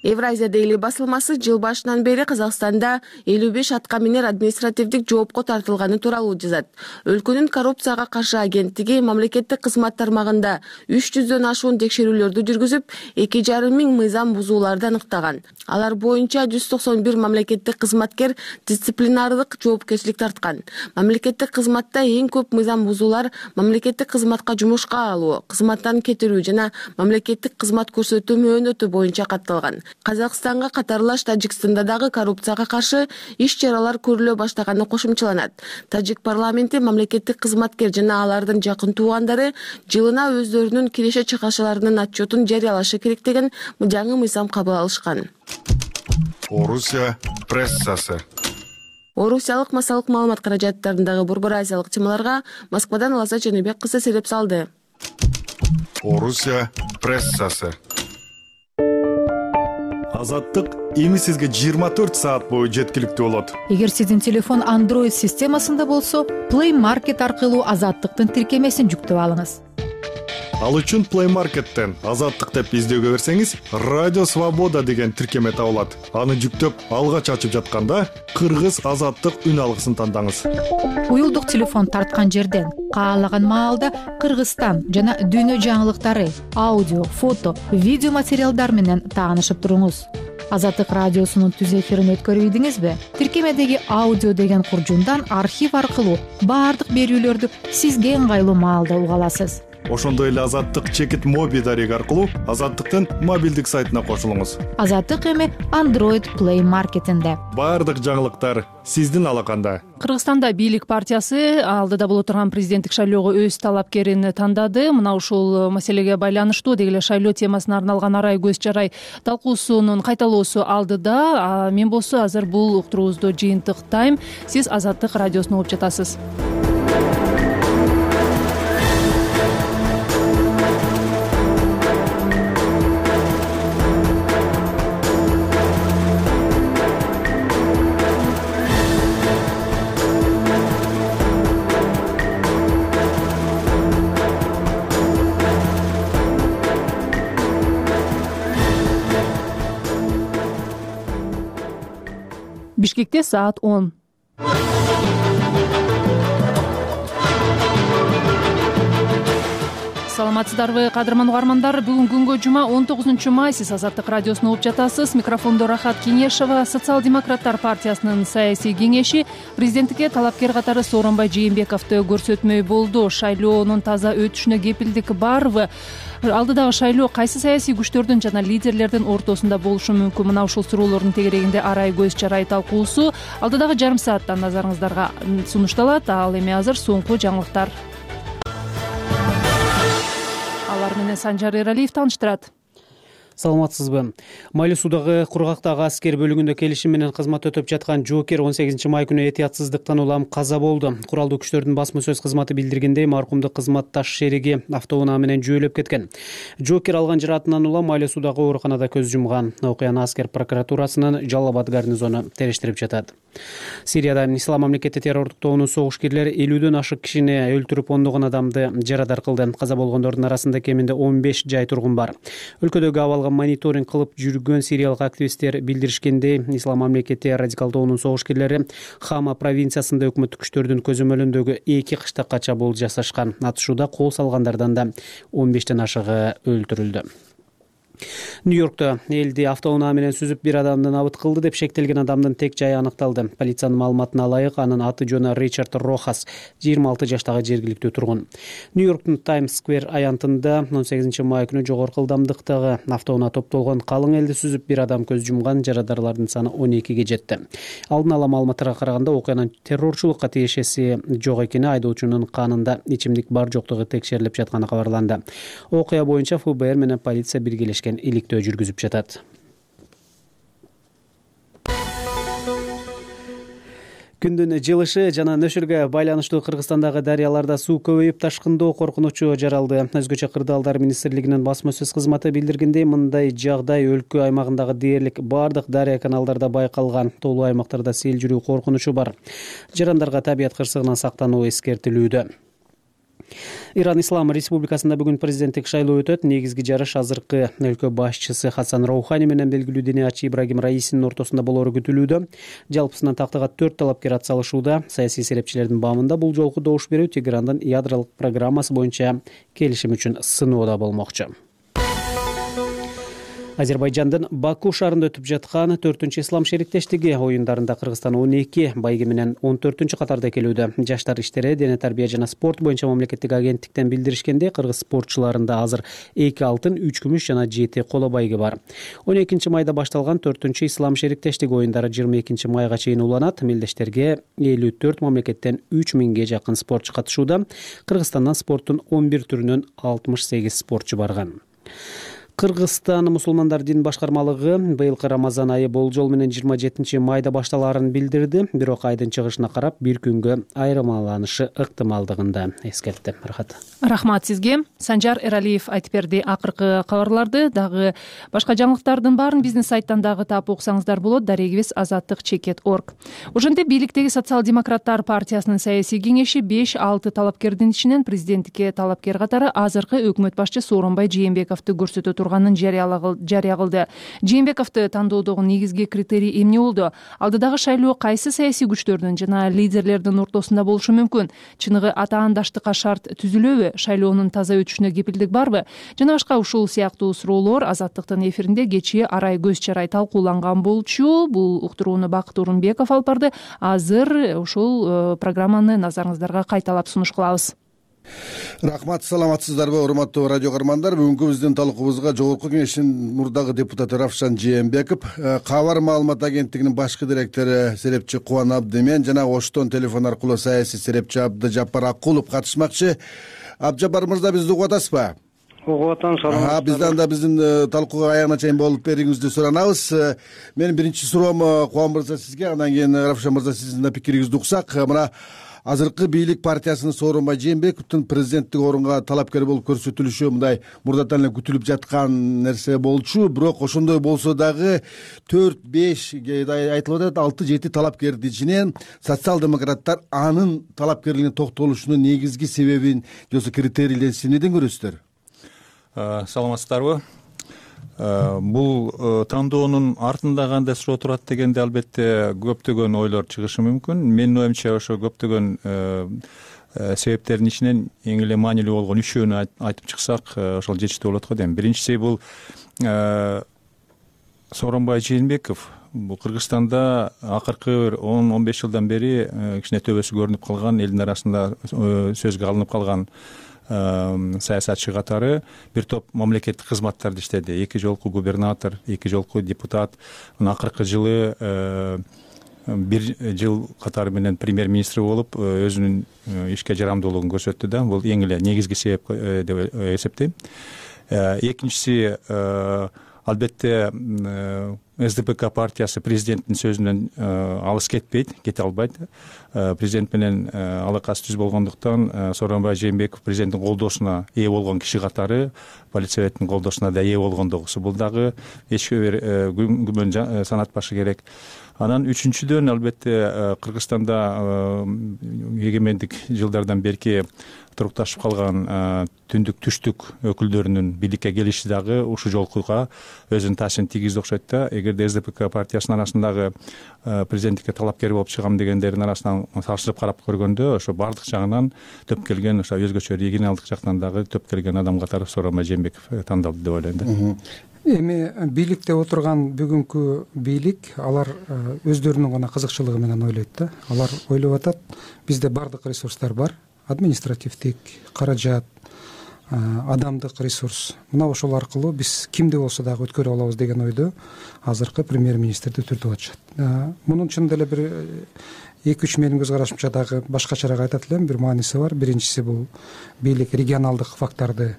Евразия Дейли басылмасы жыл башынан бери Казакстанда 55 атка минер административдик жоопко тартылганы тууралуу жазат. Өлкөнүн коррупцияга каршы агенттиги мамлекеттик кызмат тармагында 300дөн ашуун текшерүүлөрдү жүргүзүп, 2,5 миң мыйзам бузууларды аныктаган. Алар боюнча 191 мамлекеттик кызматкер дисциплинардык жоопкерчилик тарткан. Мамлекеттик кызматта эң көп мыйзам бузуулар мамлекеттик кызматка жумушка алуу, кызматтан кетирүү жана мамлекеттик кызмат көрсөтүү мөөнөтү боюнча катталган. Казакстанга катарлаш Тажикстанда дагы коррупцияга каршы иш-чаралар көрүлө баштаганы кошумчаланат. Тажик парламенти мамлекеттик кызматкер жана алардын жакын туугандары жылына өздөрүнүн киреше-чыгышаларынын отчетун жарыялашы керек деген жаңы мыйзам кабыл алышкан. Орусия прессасы. Орусиялык массалык маалымат каражаттарындагы Борбор Азиялык темаларга Москвадан Лазат Жаныбек кызы сереп салды. Орусия прессасы. Азаттык эми сизге 24 саат бою жеткиликтүү болот. Эгер сиздин телефон Android системасында болсо, Play Market аркылуу Азаттыктын тиркемесин жүктөп алыңыз. Ал үчүн Play Market'тен Азаттык деп издөөгө берсеңиз, Радио Свобода деген тиркеме табылат. Аны жүктөп, алгач ачып жатканда Кыргыз Азаттык үн алгысын тандаңыз. Уюлдук телефон тарткан жерден каалаган маалда Кыргызстан жана дүйнө жаңылыктары, аудио, фото, видео материалдар менен таанышып туруңуз. Азаттык радиосунун түз эфирин өткөрүп ийдиңизби? Тиркемедеги аудио деген куржундан архив аркылуу баардык берүүлөрдү сизге ыңгайлуу маалда уга аласыз. Ошондой эле Азаттык чекит моби дареги аркылуу Азаттыктын мобилдик сайтына кошулуңуз. Азаттык эми Android Play Market'инде. Баардык жаңылыктар сиздин алаканда. Кыргызстанда бийлик партиясы алдыда боло турган президенттик шайлоого өз талапкерин тандады. Мына ушул маселеге байланыштуу деги эле шайлоо темасына арналган арай көз жарай талкуусунун кайталоосу алдыда. Мен болсо азыр бул уктуруубузду жыйынтыктайм. Сиз Азаттык радиосун угуп жатасыз. Бишкекте саат 10. Саламатсыздарбы, кадырман угармандар. Бүгүн күнгө жума 19 май. Сиз Азаттык радиосун угуп жатасыз. Микрофондо Рахат Кеңешова. Социал-демократтар партиясынын саясий кеңеши президенттикке талапкер катары Сооронбай Жээнбековду көрсөтмөй болду. Шайлоонун таза өтүшүнө кепилдик барбы? Алдыдагы шайлоо кайсы саясий күчтөрдүн жана лидерлердин ортосунда болушу мүмкүн? Мына ушул суроолордун тегерегинде арай көз чарай талкуусу алдыдагы жарым саатта назарыңыздарга сунушталат. Ал эми азыр соңку жаңылыктар. Алар менен Санжар Эралиев тааныштырат. Саламатсызбы. Майлуу суудагы кургактагы аскер бөлүгүндө келишим менен кызмат өтөп жаткан жоокер 18 май күнү этиятсыздыктан улам каза болду. Куралдуу күчтөрдүн басма сөз кызматы билдиргендей, маркумду кызматташ шериги автоунаа менен жөөлөп кеткен. Жоокер алган жараатынан улам майлуу суудагы ооруканада көз жумган. Окуяны аскер прокуратурасынын Жалал Абад гарнизону териштирип жатат. Сирияда Ислам мамлекети террордук тобунун согушкерлери 50дөн ашык кишини өлтүрүп, ондогон адамды жарадар кылды. Каза болгондордун арасында кеминде 15 жай тургун бар. Өлкөдөгү абалга мониторинг кылып жүргөн сириялык активисттер билдиришкендей, Ислам мамлекети радикал тобунун согушкерлери Хама провинциясында өкмөттүк күчтөрдүн көзөмөлүндөгү 2 кыштакка чабуул жасашкан. Атышууда кол салгандардан да 15тен ашыгы өлтүрүлдү. Нью-Йоркто элди автоунаа менен сүзүп бир адамды набыт кылды деп шектелген адамдын тек жайы аныкталды. Полициянын маалыматына ылайык, анын аты жөнү Ричард Рохас, 26 жаштагы жергиликтүү тургун. Нью-Йорктун Таймс Сквер аянтында 18 май күнү жогорку ылдамдыктагы автоунаа топтолгон калың элди сүзүп бир адам көз жумган, жарадарлардын саны 12ге жетти. Алдын ала маалыматтарга караганда, окуянын террорчулукка тиешеси жок экени, айдоочунун канында ичимдик бар жоктугу текшерилип жатканы кабарланды. Окуя боюнча ФБР менен полиция биргелешкен иликтөө жүргүзүп жатат. Күндүн жылышы жана нөшүргө байланыштуу Кыргызстандагы дарыяларда суу көбөйүп, ташкындоо коркунучу жаралды. Өзгөчө Кырдаалдар министрлигинин басма сөз кызматы билдиргендей, мындай жагдай өлкө аймагындагы дээрлик бардык дарыя каналдарда байкалган. Тоолуу аймактарда сел жүрүү коркунучу бар. Жарандарга табият кырсыгынан сактануу эскертилүүдө. Иран Ислам Республикасында бүгүн президенттик шайлоо өтөт. Негизги жарыш азыркы өлкө башчысы Хасан Роухани менен белгилүү диниячы Ибрагим Раисинин ортосунда болору күтүлүүдө. Жалпысынан тактыга 4 талапкер атсалышууда. Саясий серепчилердин баамында бул жолку добуш берүү Тегерандын ядролук программасы боюнча келишим үчүн сыноодо болмокчу. Азербайжандын Баку шаарында өтүп жаткан 4-чү ислам шериктештиги оюндарында Кыргызстан 12, байги менен 14-чү катарда келүүдө. Жаштар иштери, дене тарбия жана спорт боюнча мамлекеттик агенттиктен билдиришкенде, кыргыз спортчуларында азыр 2 алтын, 3 күмүш жана 7 коло байги бар. 12 майда башталган 4-чү ислам шериктештиги оюндары 22 майга чейин уланат. Мелдештерге 54 мамлекеттен 3000ге жакын спортчу катышууда. Кыргызстандан спорттун 11 түрүнөн 68 спортчу барган. Кыргызстан мусулмандар дин башкармалыгы быйылкы Рамазан айы болжол менен 27 майда башталаарын билдирди. Бирок айдын чыгышына карап бир күнгө айырмаланышы ыктымалдыгын да эскертти. Рахмат сизге. Санжар Эралиев айтып берди. Акыркы кабарларды дагы башка жаңылыктардын баарын биздин сайттан дагы таап окусаңыздар болот. Дарегибиз azattik.org. Ошентип бийликтеги социал-демократтар партиясынын саясий кеңеши 5-6 талапкердин ичинен президенттикке талапкер катары азыркы өкмөт башчы Сооронбай Жээнбековду көрсөтө турганын жарыя кылды. Жээнбековду тандоодогу негизги критерий эмне болду? Алдыдагы шайлоо кайсы саясий күчтөрдүн жана лидерлердин ортосунда болушу мүмкүн? Чыныгы атаандаштыкка шарт түзүлөбү? Шайлоонун таза өтүшүнө кепилдик барбы? Жана башка ушул сыяктуу суроолор Азаттыктын эфиринде кечээ арай көз чарай талкууланган болчу. Бул уктурууну Бакыт Урунбеков алып барды. Азыр ушул программаны назарыңыздарга кайталап сунуш кылабыз. Рахмат, саламатсыздарбы урматтуу радио көрөрмандар. Бүгүнкү биздин талкуубузга Жогорку Кеңештин мурдагы депутаты Равшан Жээнбеков, Кабар маалымат агенттигинин башкы директору серепчи Кубан Абдимен жана Оштон телефон аркылуу саясий серепчи Абдыжаппар Акулов катышмакчы. Абдыжаппар мырза, бизди угуп атасызбы? Угуп атам, саламатсызбы. Бизден да биздин талкууга аягына чейин болуп бериңизди суранабыз. Менин биринчи суроом Кубан мырза сизге, андан кийин Равшан мырза сиздин да пикириңизди уксак. Мына азыркы бийлик партиясынын Сооронбай Жээнбековдун президенттик орунга талапкер болуп көрсөтүлүшү мындай мурдатан эле күтүлүп жаткан нерсе болчу. Бирок ошондой болсо дагы 4-5 айтылып атат, 6-7 талапкердин ичинен социал-демократтар анын талапкерлигине токтолушунун негизги себебин же болбосо критерийлерин сиз эмнеден көрөсүздөр? Саламатсыздарбы? бул тандоонун артында кандай суроо турат дегенде албетте көптөгөн ойлор чыгышы мүмкүн. Менин оюмча ошо көптөгөн себептердин ичинен эң эле маанилүү болгон үчөөнү айтып чыксак ошол жетиштүү болот го дейм. Биринчиси бул Сооронбай Жээнбеков бул Кыргызстанда акыркы бир 10-15 жылдан бери кичине төбөсү көрүнүп калган, элдин арасында сөзгө алынып калган саясатчы катары бир топ мамлекеттик кызматтарды иштеди. 2 жолку губернатор, 2 жолку депутат. Акыркы жылы бир жыл катары менен премьер-министр болуп өзүнүн ишке жарамдуулугун көрсөттү да. Бул эң эле негизги себеп деп эсептейм. Экинчиси албетте СДПК партиясы президенттин сөзүнөн алыс кете албайт. Президент менен алакасы түз болгондуктан Сооронбай Жээнбеков президенттин колдоосуна ээ болгон киши катары политсоветтин колдоосуна да ээ болгондугусу. Бул дагы эч бир күмөн санатпашы керек. Анан үчүнчүдөн албетте Кыргызстанда эгемендик жылдардан берки турукташып калган түндүк түштүк өкүлдөрүнүн бийликке келиши дагы ушул жолкуга өзүнүн таасирин тийгизди окшойт да. Эгерде СДПК партиясынын арасындагы президенттикке талапкер болуп чыгам дегендердин арасынан салыштырып карап көргөндө ошо баардык жагынан төп келген, ошо өзгөчө регионалдык жактан дагы төп келген адам катары Сооронбай Жээнбеков тандалды деп ойлойм да. Эми бийликте отурган бүгүнкү бийлик алар өздөрүнүн гана кызыкчылыгы менен ойлойт да. Алар ойлоп атат, бизде баардык ресурстар бар, административдик, каражат, адамдык ресурс. Мына ошол аркылуу биз кимди болсо дагы өткөрүп алабыз деген ойдо азыркы премьер-министрди түртүп атышат. Мунун чынында эле бир 2-3 менин көз карашымча дагы башкачараак айтат элем, бир мааниси бар. Биринчиси бул бийлик регионалдык факторду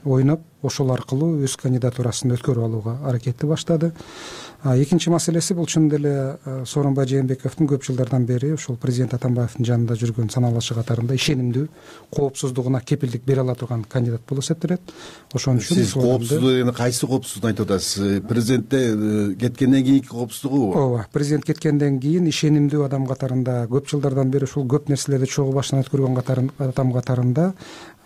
ойноп, ошол аркылуу өз кандидатурасын өткөрүп алууга аракетти баштады. Экинчи маселеси бул чынында эле Сооронбай Жээнбековдун көп жылдардан бери ошол президент Атамбаевдин жанында жүргөн саналашы катарында ишенимдүү, коопсуздугуна кепилдик бере ала турган кандидат болуп эсептелет. Ошон үчүн сиз коопсуздук дегенде кайсы коопсуздукту айтып атасыз? Президентте кеткенден кийинки коопсуздугу? Ооба, президент кеткенден кийин ишенимдүү адам катарында көп жылдардан бери ушул көп нерселерди чогуу башынан өткөргөн адам катарында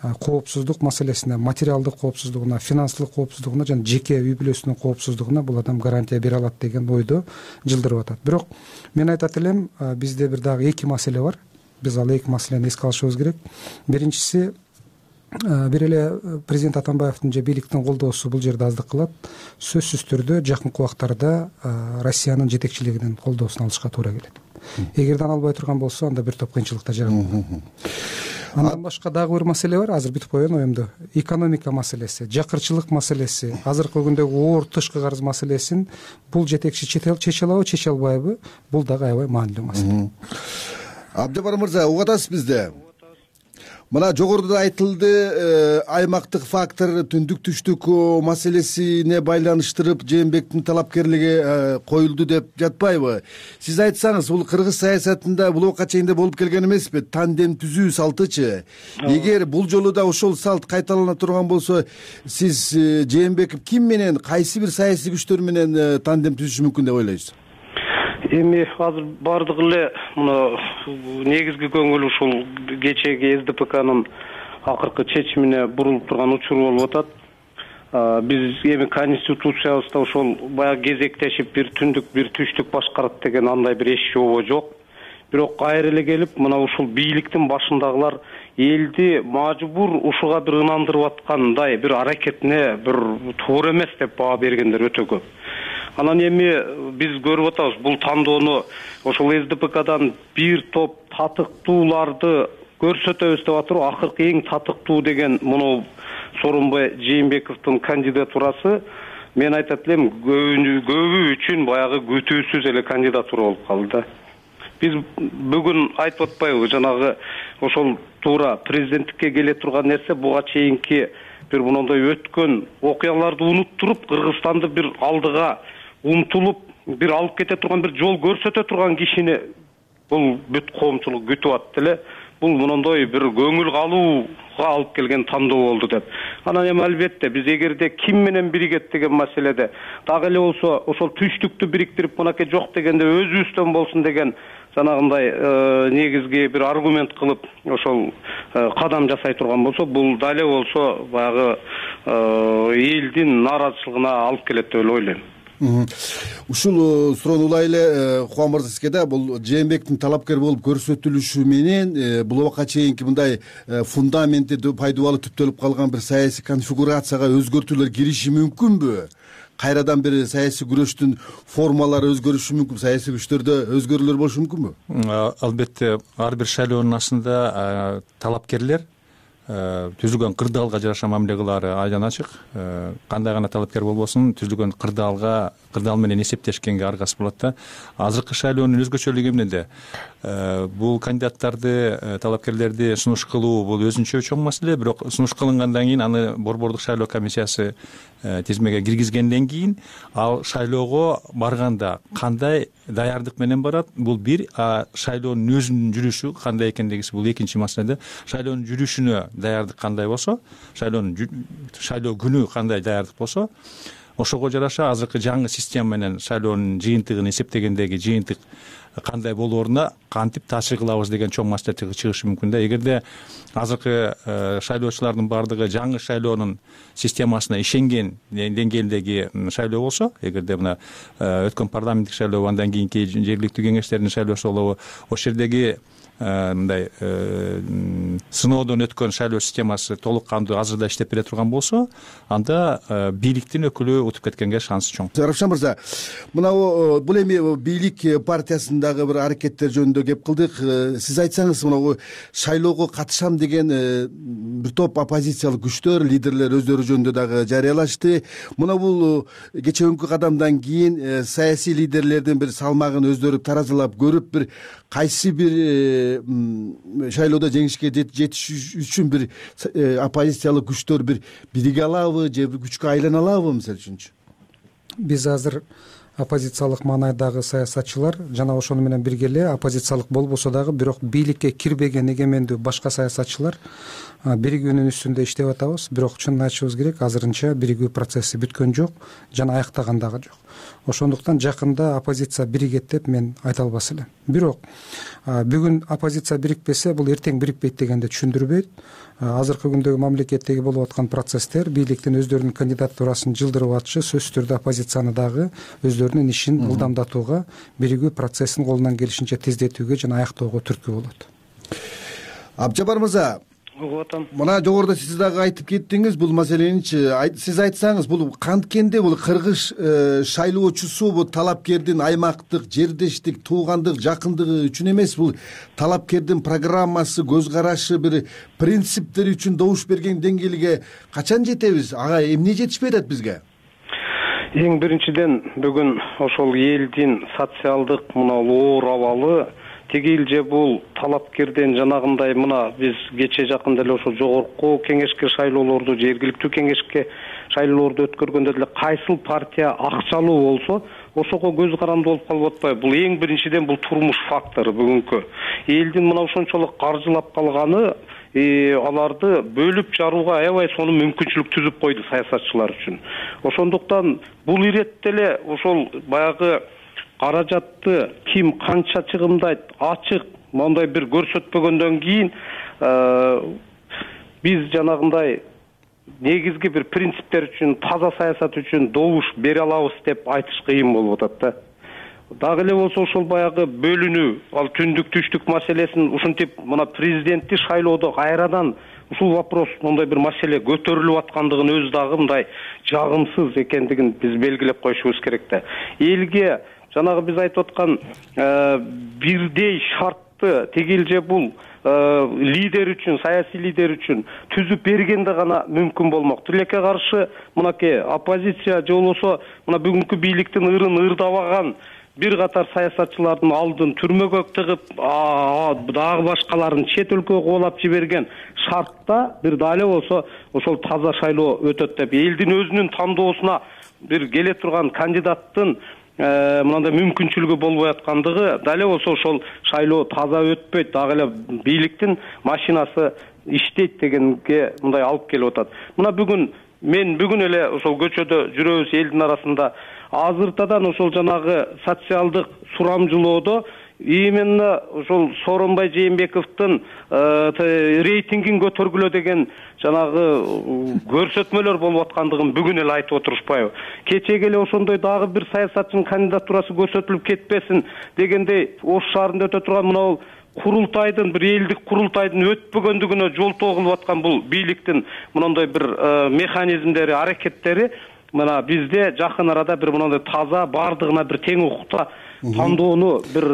коопсуздук маселесине, материалдык коопсуздугуна, финансылык коопсуздугуна жана жеке үй бүлөсүнүн коопсуздугуна бул адам гарантия бере алат деген ойдо жылдырып атат. Бирок мен айтат элем, бизде бир дагы 2 маселе бар. Биз ал 2 маселени эске алышыбыз керек. Биринчиси, бир эле президент Атамбаевдин же бийликтин колдоосу бул жерде аздык кылат. Сөзсүз түрдө жакынкы убактарда Россиянын жетекчилигинин колдоосун алышка туура келет. Эгерде аны албай турган болсо, анда бир топ кыйынчылыкта жаралат. Андан башка дагы бир маселе бар, азыр бүтүп койгон оюмду. Экономика маселеси, жакырчылык маселеси, азыркы күндөгү оор тышкы карыз маселесин бул жетекчи чече алабы, чече албайбы? Бул дагы аябай маанилүү маселе. Абдыжапар мырза, угуп атасыз бизде? Мына жогоруда айтылды, аймактык фактор, түндүк түштүк маселесине байланыштырып Жээнбектин талапкерлиги коюлду деп жатпайбы? Сиз айтсаңыз, бул кыргыз саясатында бул убакка чейин болуп келген эмеспи? Тандем түзүү салтычы. Эгер бул жолу да ошол салт кайталана турган болсо, сиз Жээнбеков ким менен, кайсы бир саясий күчтөр менен тандем түзүшү мүмкүн деп ойлойсуз? Эми азыр бардыгы эле мына негизги көңүл ушул кечеги СДПКнын акыркы чечимине бурулуп турган учур болуп атат. Биз эми конституциябызда ошол баягы кезектешип бир түндүк, бир түштүк башкарат деген андай бир эч жобо жок. Бирок кайра эле келип, мына ушул бийликтин башындагылар элди мажбур ушуга бир ынандырып аткандай бир аракетине бир туура эмес деп баа бергендер өтө көп. Анан эми биз көрүп атабыз, бул тандоону ошол СДПКдан бир топ татыктууларды көрсөтөбүз деп атып, акыркы эң татыктуу деген муну Сооронбай Жээнбековдун кандидатурасы, мен айтат элем, көбү үчүн баягы күтүүсүз эле кандидатура болуп калды. Биз бүгүн айтып атпайбы, жанагы ошол туура президенттикке келе турган нерсе буга чейинки бир мондой өткөн окуяларды унуттуруп, Кыргызстанды бир алдыга умтулуп, бир алып кете турган, бир жол көрсөтө турган кишини бул бүт коомчулук күтүп атты эле. Бул мондой бир көңүл калууга алып келген тандоо болду деп. Анан эми албетте биз эгерде ким менен биригет деген маселеде дагы эле болсо ошол түштүктү бириктирип, мынакей жок дегенде өзүбүздөн болсун деген жанагындай негизги бир аргумент кылып ошол кадам жасай турган болсо, бул дале болсо баягы элдин нааразычылыгына алып келет деп эле ойлойм. Ушул суроону улай эле Кубан мырза сизге да, бул Жээнбектин талапкер болуп көрсөтүлүшү менен бул убакка чейинки мындай фундаменти пайдубалы түптөлүп калган бир саясий конфигурацияга өзгөртүүлөр кириши мүмкүнбү? Кайрадан бир саясий күрөштүн формалары өзгөрүшү мүмкүн, саясий күчтөрдө өзгөрүүлөр болушу мүмкүнбү? Албетте, ар бир шайлоонун астында талапкерлер түзүлгөн кырдаалга жараша мамиле кылаары айдан ачык. Кандай гана талапкер болбосун, түзүлгөн кырдаал менен эсептешкенге аргасы болот да. Азыркы шайлоонун өзгөчөлүгү эмнеде? Бул кандидаттарды, талапкерлерди сунуш кылуу бул өзүнчө чоң маселе, бирок сунуш кылынгандан кийин аны борбордук шайлоо комиссиясы тизмеге киргизгенден кийин ал шайлоого барганда кандай даярдык менен барат, бул бир. Шайлоонун өзүнүн жүрүшү кандай экендигиси бул экинчи маселе. Шайлоонун жүрүшүнө даярдык кандай болсо, шайлоо күнү кандай даярдык болсо, ошого жараша азыркы жаңы система менен шайлоонун жыйынтыгын эсептегендеги жыйынтык кандай болооруна кантип таасир кылабыз деген чоң маселе чыгышы мүмкүн да. Эгерде азыркы шайлоочулардын баардыгы жаңы шайлоонун системасына ишенген деңгээлдеги шайлоо болсо, эгерде мына өткөн парламенттик шайлоо, андан кийинки жергиликтүү кеңештердин шайлоосу болобу, ошол жердеги мындай сыноодон өткөн шайлоо системасы толук кандуу азырда иштеп бере турган болсо, анда бийликтин өкүлү утуп кеткенге шансы чоң. Равшан мырза, мына бул эми бийлик партиясындагы бир аракеттер жөнүндө кеп кылдык. Сиз айтсаңыз, мына шайлоого катышам деген бир топ оппозициялык күчтөр, лидерлер өздөрү жөнүндө дагы жарыялашты. Мына бул кечээкүнкү кадамдан кийин саясий лидерлердин бир салмагын өздөрү таразалап көрүп, бир кайсы бир шайлоодо жеңишке жетиш үчүн бир оппозициялык күчтөр бир бириге алабы же бир күчкө айлана алабы? Мисалы үчүнчү, биз азыр оппозициялык маанайдагы саясатчылар жана ошону менен бирге эле оппозициялык болбосо дагы бирок бийликке кирбеген эгемендүү башка саясатчылар биригүүнүн үстүндө иштеп атабыз. Бирок чынын айтышыбыз керек, азырынча биригүү процесси бүткөн жок жана аяктаган дагы жок. Ошондуктан жакында оппозиция биригет деп мен айта албас элем. Бирок бүгүн оппозиция бирикпесе, бул эртең бирикпейт дегенди түшүндүрбөйт. Азыркы күндөгү мамлекеттеги болуп аткан процесстер бийликтин өздөрүнүн кандидатурасын жылдырып атышы сөзсүз түрдө оппозицияны дагы өздөрүнүн ишин мылдамдатууга, биригүү процессин колунан келишинче тездетүүгө жана аяктоого түрткү болот. Абжапар мырза, мына жогоруда сиз дагы айтып кеттиңиз бул маселеничи. Сиз айтсаңыз, бул канткенде бул кыргыз шайлоочусу бул талапкердин аймактык, жердештик, туугандык, жакындыгы үчүн эмес, бул талапкердин программасы, көз карашы, бир принциптери үчүн добуш берген деңгээлге качан жетебиз? Ага эмне жетишпей атат бизге? Эң биринчиден бүгүн ошол элдин социалдык мына оор абалы теги элже бул талапкерден жанагындай мына биз кечээ жакында эле ошо жогорку кеңешке шайлоолорду, жергиликтүү кеңешке шайлоолорду өткөргөндө деле кайсыл партия акчалуу болсо ошого көз каранды болуп калып атпайбы? Бул эң биринчиден бул турмуш фактору бүгүнкү. Элдин мына ошончолук каржылап калганы аларды бөлүп жарууга аябай сону мүмкүнчүлүк түзүп койду саясатчылар үчүн. Ошондуктан бул иретте эле ошол баягы каражатты ким канча чыгымдайт ачык мондай бир көрсөтпөгөндөн кийин биз жанагындай негизги бир принциптер үчүн, таза саясат үчүн добуш бере алабыз деп айтыш кыйын болуп атат да. Дагы эле болсо ошол баягы бөлүнүү, ал түндүк түштүк маселесин ушинтип мына президентти шайлоодо кайрадан ушул вопрос, мондай бир маселе көтөрүлүп аткандыгын өзү дагы мындай жагымсыз экендигин биз белгилеп коюшубуз керек да. Элге жанагы биз айтып аткан бирдей шартты теги элже бул лидер үчүн, саясий лидер үчүн түзүп бергенде гана мүмкүн болмок. Тилекке каршы мынакей оппозиция же болбосо мына бүгүнкү бийликтин ырын ырдабаган бир катар саясатчылардын алдын түрмөгө тыгып, дагы башкаларын чет өлкөгө кубалап жиберген шартта бир дале болсо ошол таза шайлоо өтөт деп, элдин өзүнүн тандоосуна бир келе турган кандидаттын мындай мүмкүнчүлүгү болбой аткандыгы дале болсо ошол шайлоо таза өтпөйт, дагы эле бийликтин машинасы иштейт дегенге мындай алып келип атат. Мына мен бүгүн эле ошол көчөдө жүрөбүз элдин арасында. Азыртадан ошол жанагы социалдык сурамжылоодо именно ушул Сооронбай Жээнбековдун рейтингин көтөргүлө деген жанагы көрсөтмөлөр болуп аткандыгын бүгүн эле айтып отурушпайбы? Кечеге эле ошондой дагы бир саясатчынын кандидатурасы көрсөтүлүп кетпесин дегендей Ош шаарында өтө турган мына курултайдын, бир элдик курултайдын өтпөгөндүгүнө жолтоо кылып аткан бул бийликтин мындай бир механизмдери, аракеттери мына бизде жакын арада бир мындай таза, бардыгына бир тең укукта тандоону бир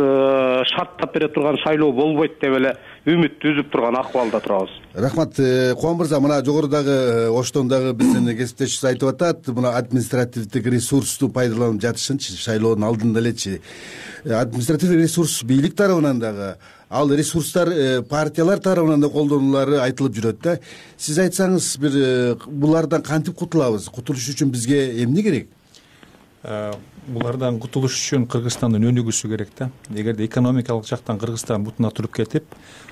шарттап бере турган шайлоо болбойт деп эле үмүт түзүп турган акыбалда турабыз. Рахмат. Кубан мырза, мына жогорудагы Оштон дагы биздин кесиптешибиз айтып атат, мына административдик ресурсту пайдаланып жатышынчы, шайлоонун алдында элечи. Административдик ресурс бийлик тарабынан дагы, ал ресурстар партиялар тарабынан да колдонулары айтылып жүрөт да. Сиз айтсаңыз, бир булардан кантип кутулабыз? Кутулуш үчүн бизге эмне керек? Булардан кутулуш үчүн Кыргызстандын өнүгүүсү керек да. Эгерде экономикалык жактан Кыргызстан бутуна туруп кетип,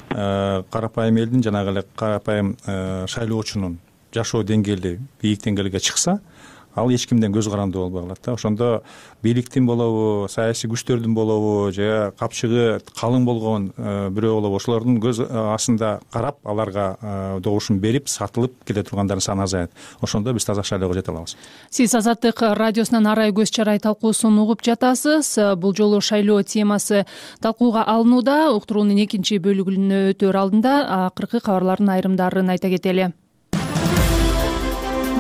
карапайым элдин, жанагы эле карапайым шайлоочунун жашоо деңгээли бийик деңгээлге чыкса, ал эч кимден көз каранды болбой калат да. Ошондо бийликтин болобу, саясий күчтөрдүн болобу, же капчыгы калың болгон бирөө болобу, ошолордун көз астында карап, аларга добушун берип, сатылып келе тургандардын саны азаят. Ошондо биз таза шайлоого жете алабыз. Сиз Азаттык радиосунан арай көз чарай талкуусун угуп жатасыз. Бул жолу шайлоо темасы талкууга алынууда. Уктуруунун экинчи бөлүгүнө өтөр алдында акыркы кабарлардын айрымдарын айта кетели.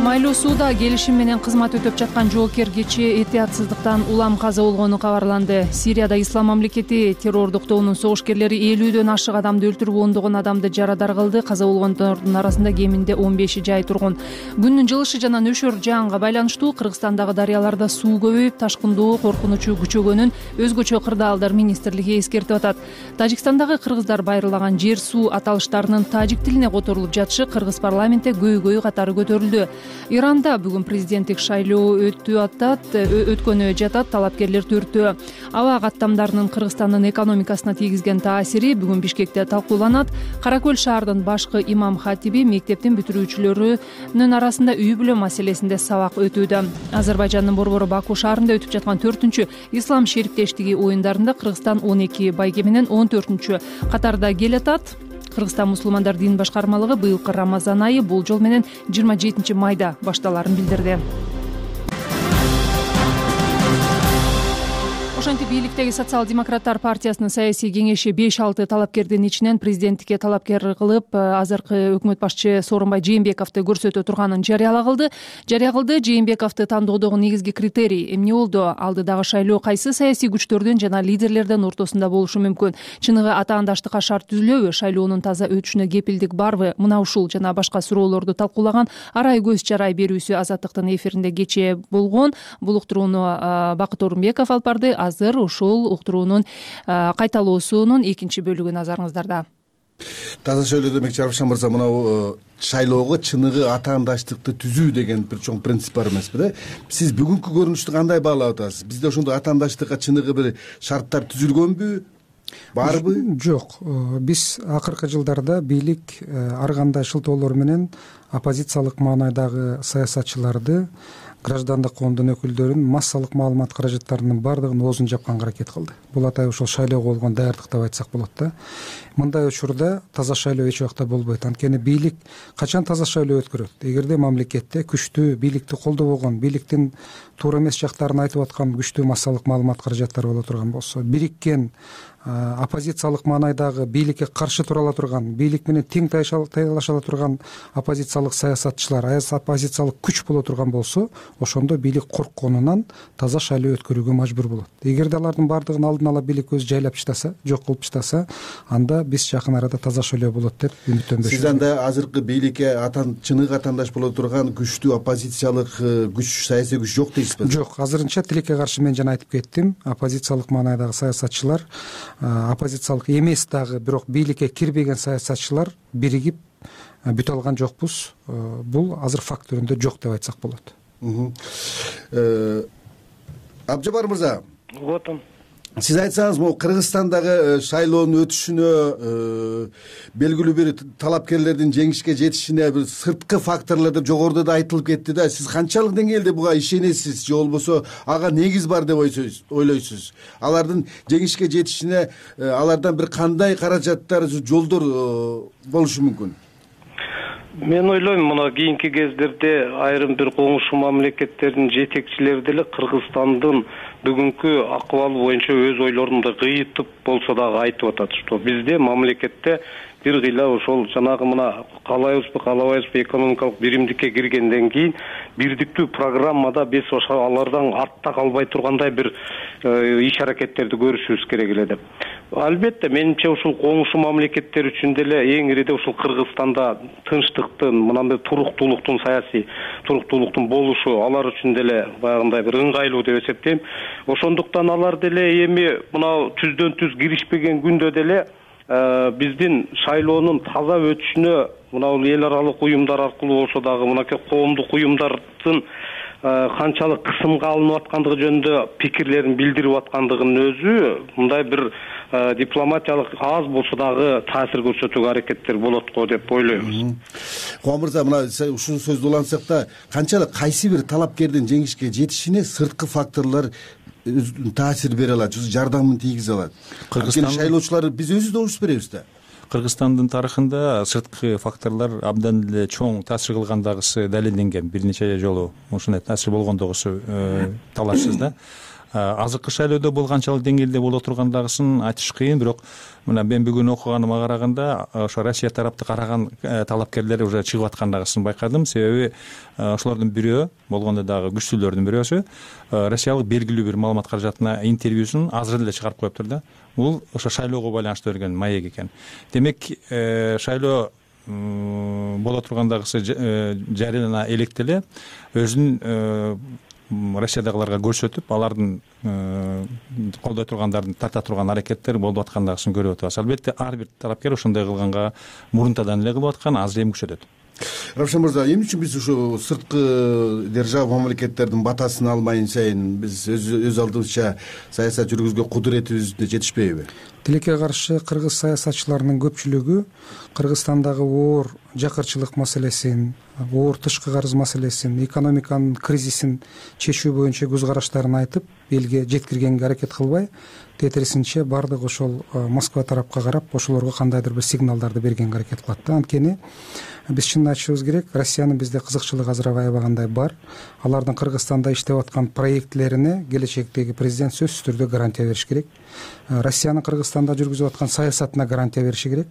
Майлуу сууда келишим менен кызмат өтөп жаткан жоокер кечээ этиятсыздыктан улам каза болгону кабарланды. Сирияда Ислам мамлекети террордук тобунун согушкерлери 50дөн ашык адамды өлтүрүп, ондогон адамды жарадар кылды. Каза болгондордун арасында кеминде 15 жай тургун. Күндүн жылышы жана нөшөр жаанга байланыштуу Кыргызстандагы дарыяларда суу көбөйүп, ташкындоо коркунучу күчөгөнүн өзгөчө кырдаалдар министрлиги эскертип атат. Тажикстандагы кыргыздар байырлаган жер суу аталыштарынын тажик тилине которулуп жатышы Кыргыз парламентте көйгөй катары көтөрүлдү. Иранда бүгүн президенттик шайлоо өткөнү жатат. Талапкерлер төртөө. Аба каттамдарынын Кыргызстандын экономикасына тийгизген таасири бүгүн Бишкекте талкууланат. Кара Көл шаарынын башкы имам хатиби мектептин бүтүрүүчүлөрүнүн арасында үй бүлө маселесинде сабак өтүүдө. Азербайжандын борбору Баку шаарында өтүп жаткан 4-чү ислам шериктештиги оюндарында Кыргызстан 12 байге менен 14-чү катарда келатат. Кыргызстан мусулмандар дин башкармалыгы быйылкы Рамазан айы болжол менен 27 майда башталарын билдирди. Ошентип бийликтеги социал-демократтар партиясынын саясий кеңеши 5-6 талапкердин ичинен президенттикке талапкер кылып, азыркы өкмөт башчы Сооронбай Жээнбековду көрсөтө турганын жарыя кылды. Жээнбековду тандоодогу негизги критерий эмне болду? Алдыдагы шайлоо кайсы саясий күчтөрдүн жана лидерлердин ортосунда болушу мүмкүн? Чыныгы атаандаштыкка шарт түзүлөбү? Шайлоонун таза өтүшүнө кепилдик барбы? Мына ушул жана башка суроолорду талкуулаган арай көз чарай берүүсү Азаттыктын эфиринде кечээ болгон. Бул уктурууну Бакыт Орунбеков алып барды. Азыр ушул уктуруунун кайталоосунун экинчи бөлүгү назарыңыздарда. Таза шайлоо демекчи Аршан мырза, мына шайлоого чыныгы атаандаштыкты түзүү деген бир чоң принцип бар эмеспи да? Сиз бүгүнкү көрүнүштү кандай баалап атасыз? Бизде ошондой атаандаштыкка чыныгы бир шарттар түзүлгөнбү? Барбы? Жок. Биз акыркы жылдарда бийлик ар кандай шылтоолор менен оппозициялык маанайдагы саясатчыларды, граждандык коомдун өкүлдөрүн массалык маалымат каражаттарынын баардыгын оозун жапканга аракет кылды. Бул атай ошол шайлоого болгон даярдык деп айтсак болот да. Мындай учурда таза шайлоо эч убакта болбойт. Анткени бийлик качан таза шайлоо өткөрөт? Эгерде мамлекетте күчтүү, бийликти колдобогон, бийликтин туура эмес жактарын айтып аткан күчтүү массалык маалымат каражаттары боло турган болсо, бириккен оппозициялык маанайдагы бийликке каршы тура ала турган, бийлик менен тең таялаша ала турган оппозициялык саясатчылар, оппозициялык күч боло турган болсо, ошондо бийлик коркконунан таза шайлоо өткөрүүгө мажбур болот. Эгерде алардын баардыгын алдын ала бийлик өзү жайлап таштаса, жок кылып таштаса, анда биз жакын арада таза шайлоо болот деп үмүттөнбөйбүз. Сиз анда азыркы бийликке чыныгы атаандаш боло турган күчтүү оппозициялык күч, саясий күч жок дейсизби? Жок, азырынча тилекке каршы мен жана айтып кеттим. Оппозициялык маанайдагы саясатчылар, оппозициялык эмес дагы, бирок бийликке кирбеген саясатчылар биригип бүтө алган жокпуз. Бул азыр факт түрүндө жок деп айтсак болот. Абжабар мырза, сиз айтсаңыз, могу Кыргызстандагы шайлоонун өтүшүнө, белгилүү бир талапкерлердин жеңишке жетишине бир сырткы факторлор деп жогоруда да айтылып кетти да. Сиз канчалык деңгээлде буга ишенесиз, же болбосо ага негиз бар деп ойлойсуз? Алардын жеңишке жетишине алардан бир кандай каражаттар, жолдор болушу мүмкүн? Мен ойлойм, мына кийинки кездерде айрым бир коңшу мамлекеттердин жетекчилери деле Кыргызстандын бүгүнкү акыбалы боюнча өз ойлорун да кыйытып болсо дагы айтып атат, что бизде мамлекетте бир кыйла ошол жанагы мына каалайбызбы каалабайбызбы экономикалык биримдикке киргенден кийин бирдиктүү программада биз ошо алардан артта калбай тургандай бир иш аракеттерди көрүшүбүз керек эле деп. Албетте, менимче ушул коңшу мамлекеттер үчүн деле эң ириде ушул Кыргызстанда тынчтыктын, мынандай туруктуулуктун, саясий туруктуулуктун болушу алар үчүн деле баягындай бир ыңгайлуу деп эсептейм. Ошондуктан алар деле эми мына түздөн түз киришпеген күндө деле биздин шайлоонун таза өтүшүнө мына эл аралык уюмдар аркылуу болсо дагы мынакей коомдук уюмдардын канчалык кысымга алынып аткандыгы жөнүндө пикирлерин билдирип аткандыгынын өзү мындай бир дипломатиялык аз болсо дагы таасир көрсөтүүгө аракеттер болот го деп ойлойбуз. Кубан мырза, мына ушул сөздү улантсак да, канчалык кайсы бир талапкердин жеңишке жетишине сырткы факторлор таасир бере алат, жардамын тийгизе алат? Кыргызстан шайлоочулар биз өзүбүз добуш беребиз да. Кыргызстандын тарыхында сырткы факторлор абдан эле чоң таасир кылгандагысы далилденген. Бир нече жолу ушундай таасир болгондугусу талашсыз да. Азыркы шайлоодо бул канчалык деңгээлде боло тургандагысын айтыш кыйын, бирок мына мен бүгүн окуганыма караганда ошо Россия тараптык караган талапкерлер уже чыгып аткандагысын байкадым. Себеби ошолордун бирөө болгондо дагы күчтүүлөрдүн бирөөсү россиялык белгилүү бир маалымат каражатына интервьюсун азыр эле чыгарып коюптур да. Бул ошо шайлоого байланыштуу берген маек экен. Демек, шайлоо боло тургандагысы жарыяна электе эле өзүнүн Россиядагыларга көрсөтүп, алардын колдой тургандардын тарта турган аракеттер болуп аткандагысын көрүп атабыз. Албетте, ар бир талапкер ошондой кылганга мурунтадан эле кылып аткан, азыр эми күчөтөт. Равшан мырза, эмне үчүн биз ушу сырткы держава мамлекеттердин батасын алмайын сайын биз өз алдыбызча саясат жүргүзгөнгө кудуретибизде жетишпейби? Тилекке каршы кыргыз саясатчыларынын көпчүлүгү Кыргызстандагы оор жакырчылык маселесин, оор тышкы карыз маселесин, экономиканын кризисин чечүү боюнча көз караштарын айтып, элге жеткиргенге аракет кылбай, тетирисинче баардык ошол Москва тарапка карап, ошолорго кандайдыр бир сигналдарды бергенге аракет кылат да. Анткени биз чынын айтышыбыз керек, Россиянын бизде кызыкчылыгы азыр аябагандай бар. Алардын Кыргызстанда иштеп аткан проектлерине келечектеги президент сөзсүз түрдө гарантия бериш керек. Россиянын Кыргызстанда жүргүзүп аткан саясатына гарантия бериши керек.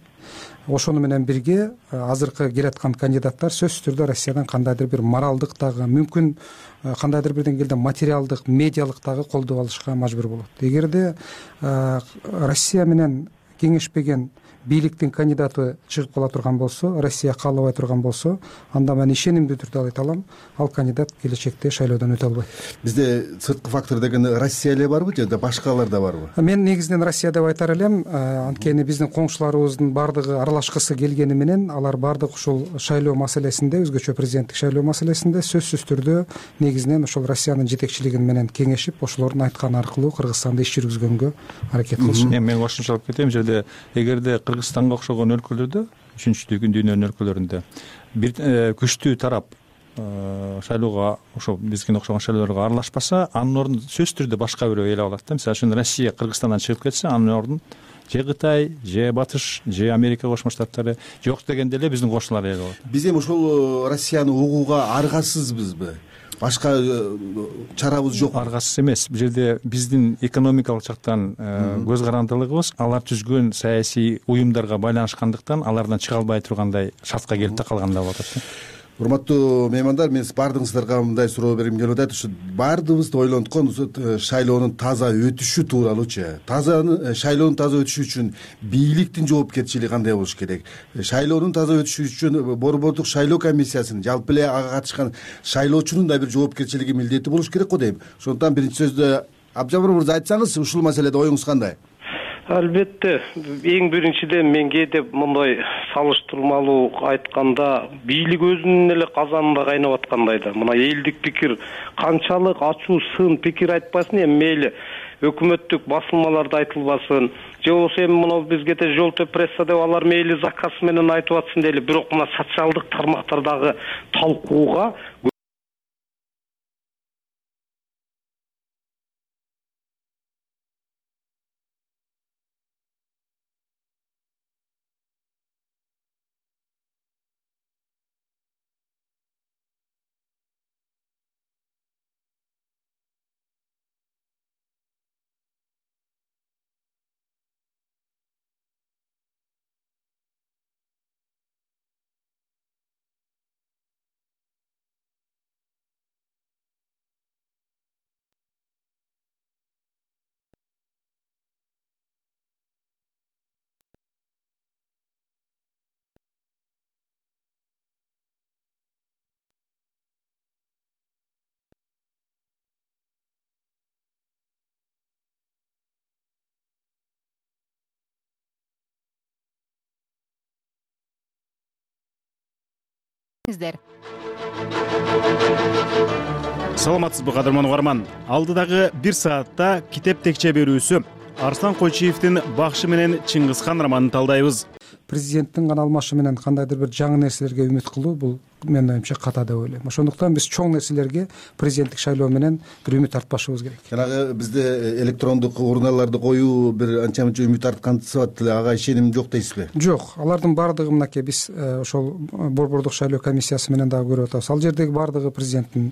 Ошону менен бирге азыркы келаткан кандидаттар сөзсүз түрдө Россиядан кандайдыр бир моралдык дагы, мүмкүн кандайдыр бир деңгээлде материалдык, медиалык дагы колдоо алышка мажбур болот. Эгерде Россия менен кеңешпеген бийликтин кандидаты чыгып кала турган болсо, Россия каалабай турган болсо, анда мен ишенимдүү түрдө айта алам, ал кандидат келечекте шайлоодон өтө албайт. Бизде сырткы фактор деген Россия эле барбы же башкалар да барбы? Мен негизинен Россия деп айтар элем. Анткени биздин коңшуларыбыздын бардыгы аралашкысы келгени менен, алар бардык ушул шайлоо маселесинде, өзгөчө президенттик шайлоо маселесинде сөзсүз түрдө негизинен ошол Россиянын жетекчилиги менен кеңешип, ошолордун айтканы аркылуу Кыргызстанда иш жүргүзгөнгө аракет кылышат. Мен кошумчалап кетем, жерде эгерде Кыргызстанга окшогон өлкөлөрдө, үчүнчү дүйнөнүн өлкөлөрүндө бир күчтүү тарап шайлоого, ошо бизге окшогон шайлоолорго аралашпаса, анын ордун сөзсүз түрдө башка бирөө ээлеп алат да. Мисалы үчүн Россия Кыргызстандан чыгып кетсе, анын ордун же Кытай, же Батыш, же Америка Кошмо Штаттары, жок дегенде эле биздин кошуналар ээлеп алат. Биз эми ошол Россияны угууга аргасызбызбы? Башка чарабыз жок? Аргасыз эмес. Бул жерде биздин экономикалык жактан көз карандылыгыбыз алар түзгөн саясий уюмдарга байланышкандыктан алардан чыга албай тургандай шартка келип такалгандай болуп атат. Урматтуу меймандар, мен баардыгыңыздарга мындай суроо бергим келип атат. Ушу баардыгыбызды ойлонткон шайлоонун таза өтүшү тууралуучу. Шайлоонун таза өтүшү үчүн бийликтин жоопкерчилиги кандай болуш керек? Шайлоонун таза өтүшү үчүн борбордук шайлоо комиссиясынын, жалпы эле ага катышкан шайлоочунун да бир жоопкерчилиги, милдети болуш керек го дейм. Ошондуктан биринчи сөздө Абжамыр мырза айтсаңыз, ушул маселеде оюңуз кандай? Албетте, эң биринчиден мен кээде мындай салыштырмалуу айтканда бийлик өзүнүн эле казанында кайнап аткандай да. Мына элдик пикир канчалык ачуу, сын пикир айтпасын, эми мейли өкмөттүк басылмаларда айтылбасын же болбосо эми мына бизге желтый пресса деп алар мейли заказ менен айтып атсын дейли, бирок мына социалдык тармактардагы талкууга саламатсызбы кадырман угарман. Алдыдагы 1 саатта китеп текче берүүсү Арслан Койчиевдин Бакшы менен Чыңгызхан романын талдайбыз. Президенттин гана алмашы менен кандайдыр бир жаңы нерселерге үмүт кылуу бул менин оюмча ката деп ойлойм. Ошондуктан биз чоң нерселерге президенттик шайлоо менен бир үмүт артпашыбыз керек. Жанагы бизде электрондук урналарды коюу бир анча мынча үмүт арткансып атат, ага ишеним жок дейсизби? Жок, алардын баардыгы мынакей биз ошол борбордук шайлоо комиссиясы менен дагы көрүп атабыз. Ал жердеги баардыгы президенттин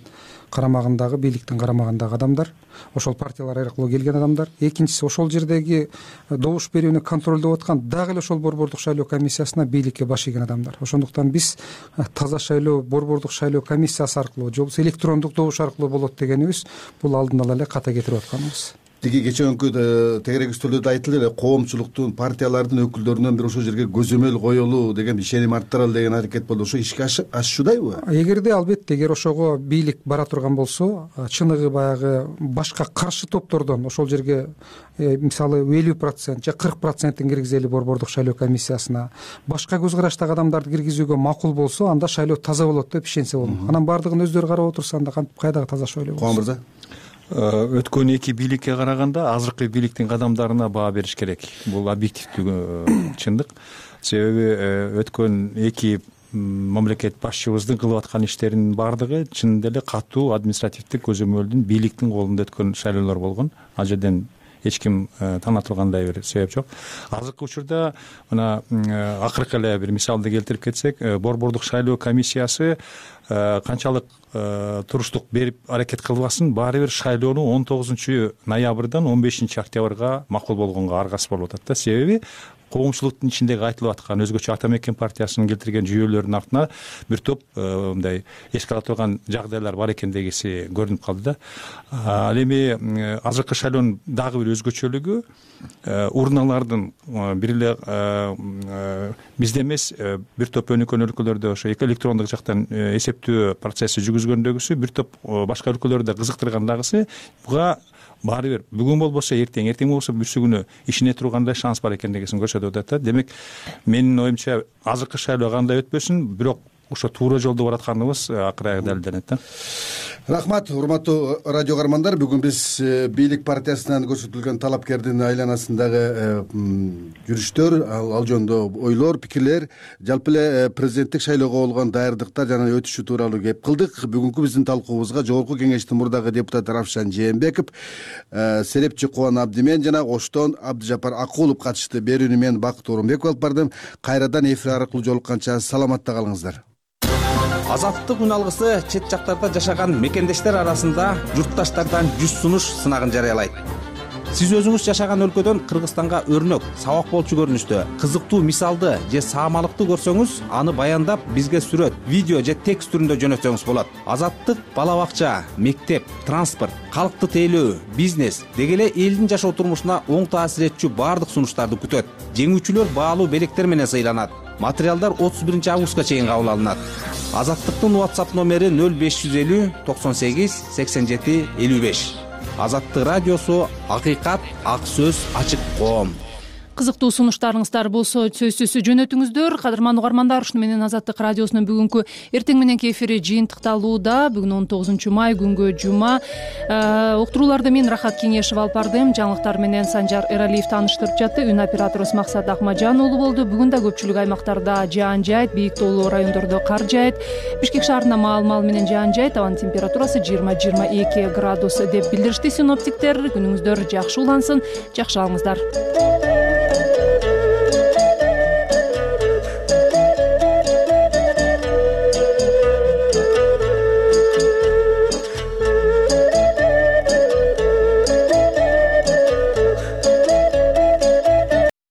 карамагындагы, бийликтин карамагындагы адамдар, ошол партиялар аркылуу келген адамдар. Экинчиси, ошол жердеги добуш берүүнү контролдоп аткан дагы эле ошол борбордук шайлоо комиссиясына бийликке баш ийген адамдар. Ошондуктан биз таза шайлоо борбордук шайлоо комиссиясы аркылуу же болбосо электрондук добуш аркылуу болот дегенибиз бул алдын ала эле ката кетирип атканыбыз. Тиги кечээкү тегерек үстөлдө айтылды эле, коомчулуктун, партиялардын өкүлдөрүнөн бир ошол жерге көзөмөл коелу деген ишеним арттыралы деген аракет болду. Ошо ишке ашышуудайбы? Эгерде албетте, эгер ошого бийлик бара турган болсо, чыныгы баягы башка каршы топтордон ошол жерге мисалы 50% же 40% киргизели борбордук шайлоо комиссиясына, башка көз караштагы адамдарды киргизүүгө макул болсо, анда шайлоо таза болот деп ишенсе болот. Анан баардыгын өздөрү карап отурса, анда кантип кайдагы таза шайлоо болот? Куан мырза, өткөн 2 бийликке караганда азыркы бийликтин кадамдарына баа бериш керек. Бул объективдүү чындык. Себеби өткөн 2 мамлекет башчыбыздын кылып аткан иштеринин баардыгы чынында эле катуу административдик көзөмөлдүн бийликтин колунда өткөн шайлоолор болгон. Ал жерден эч ким таанытылгандай бир себеп жок. Азыркы учурда мына акыркы эле бир мисалды келтирип кетсек, борбордук шайлоо комиссиясы канчалык туруштук берип аракет кылбасын, баары бир шайлоону 19-ноябрдан 15-октябрга макул болгонго аргасы болуп атат да. Себеби коомчулуктун ичиндеги айтылып аткан өзгөчө Ата Мекен партиясынын келтирген жүйөлөрүнүн артына бир топ мындай эске ала турган жагдайлар бар экендигиси көрүнүп калды да. Ал эми азыркы шайлоонун дагы бир өзгөчөлүгү урналардын бир эле бизде эмес, бир топ өнүккөн өлкөлөрдө ошо электрондук жактан эсептөө процесси жүргүзгөндөгүсү, бир топ башка өлкөлөрдө кызыктырган дагысы буга баары бир бүгүн болбосо эртең болбосо бүрсү күнү ишине тургандай шанс бар экендигин көрсөтүп атат да. Демек менин оюмча азыркы шайлоо кандай өтпөсүн, бирок ошо туура жолдо баратканыбыз акыры аягында далилденет да. Рахмат, урматтуу радио каармандар. Бүгүн биз бийлик партиясынан көрсөтүлгөн талапкердин айланасындагы жүрүштөр, ал жөнүндө ойлор, пикирлер, жалпы эле президенттик шайлоого болгон даярдыктар жана өтүшү тууралуу кеп кылдык. Бүгүнкү биздин талкуубузга Жогорку Кеңештин мурдагы депутаты Равшан Жээнбеков, серепчи Кубан Абдимен жана Оштон Абдыжапар Акулов катышты. Берүүнү мен Бакыт Орунбеков алып бардым. Кайрадан эфир аркылуу жолукканча саламатта калыңыздар. Азаттык үн алгысы чет жактарда жашаган мекендештер арасында журтташтардан 100 сунуш сынагын жарыялайт. Сиз өзүңүз жашаган өлкөдөн Кыргызстанга өрнөк, сабак болчу көрүнүштө кызыктуу мисалды же саамалыкты көрсөңүз, аны баяндап бизге сүрөт, видео же текст түрүндө жөнөтсөңүз болот. Азаттык бала бакча, мектеп, транспорт, калкты тейлөө, бизнес деги эле элдин жашоо турмушуна оң таасир этчү баардык сунуштарды күтөт. Жеңүүчүлөр баалуу белектер менен сыйланат. Материалдар 31 августка чейин кабыл алынат. Азаттыктын WhatsApp номери 0550 98 87 55. Азаттык радиосу, акыйкат, ак сөз, ачык коом. Кызыктуу сунуштарыңыздар болсо сөзсүз жөнөтүңүздөр. Кадырман угармандар, ушуну менен Азаттык радиосунун бүгүнкү эртең мененки эфири жыйынтыкталууда. Бүгүн 19 май, күнгө жума. Уктурууларды мен Рахат Кеңешева алып бардым. Жаңылыктар менен Санжар Эралиев тааныштырып жатты. Үн операторубуз Максат Акмажан уулу болду. Бүгүн да көпчүлүк аймактарда жаан жаайт, бийик тоолуу райондордо кар жаайт. Бишкек шаарында маал менен жаан жаайт. Абанын температурасы 20-22 градус деп билдиришти синоптиктер. Күнүңүздөр жакшы улансын, жакшы алыңыздар.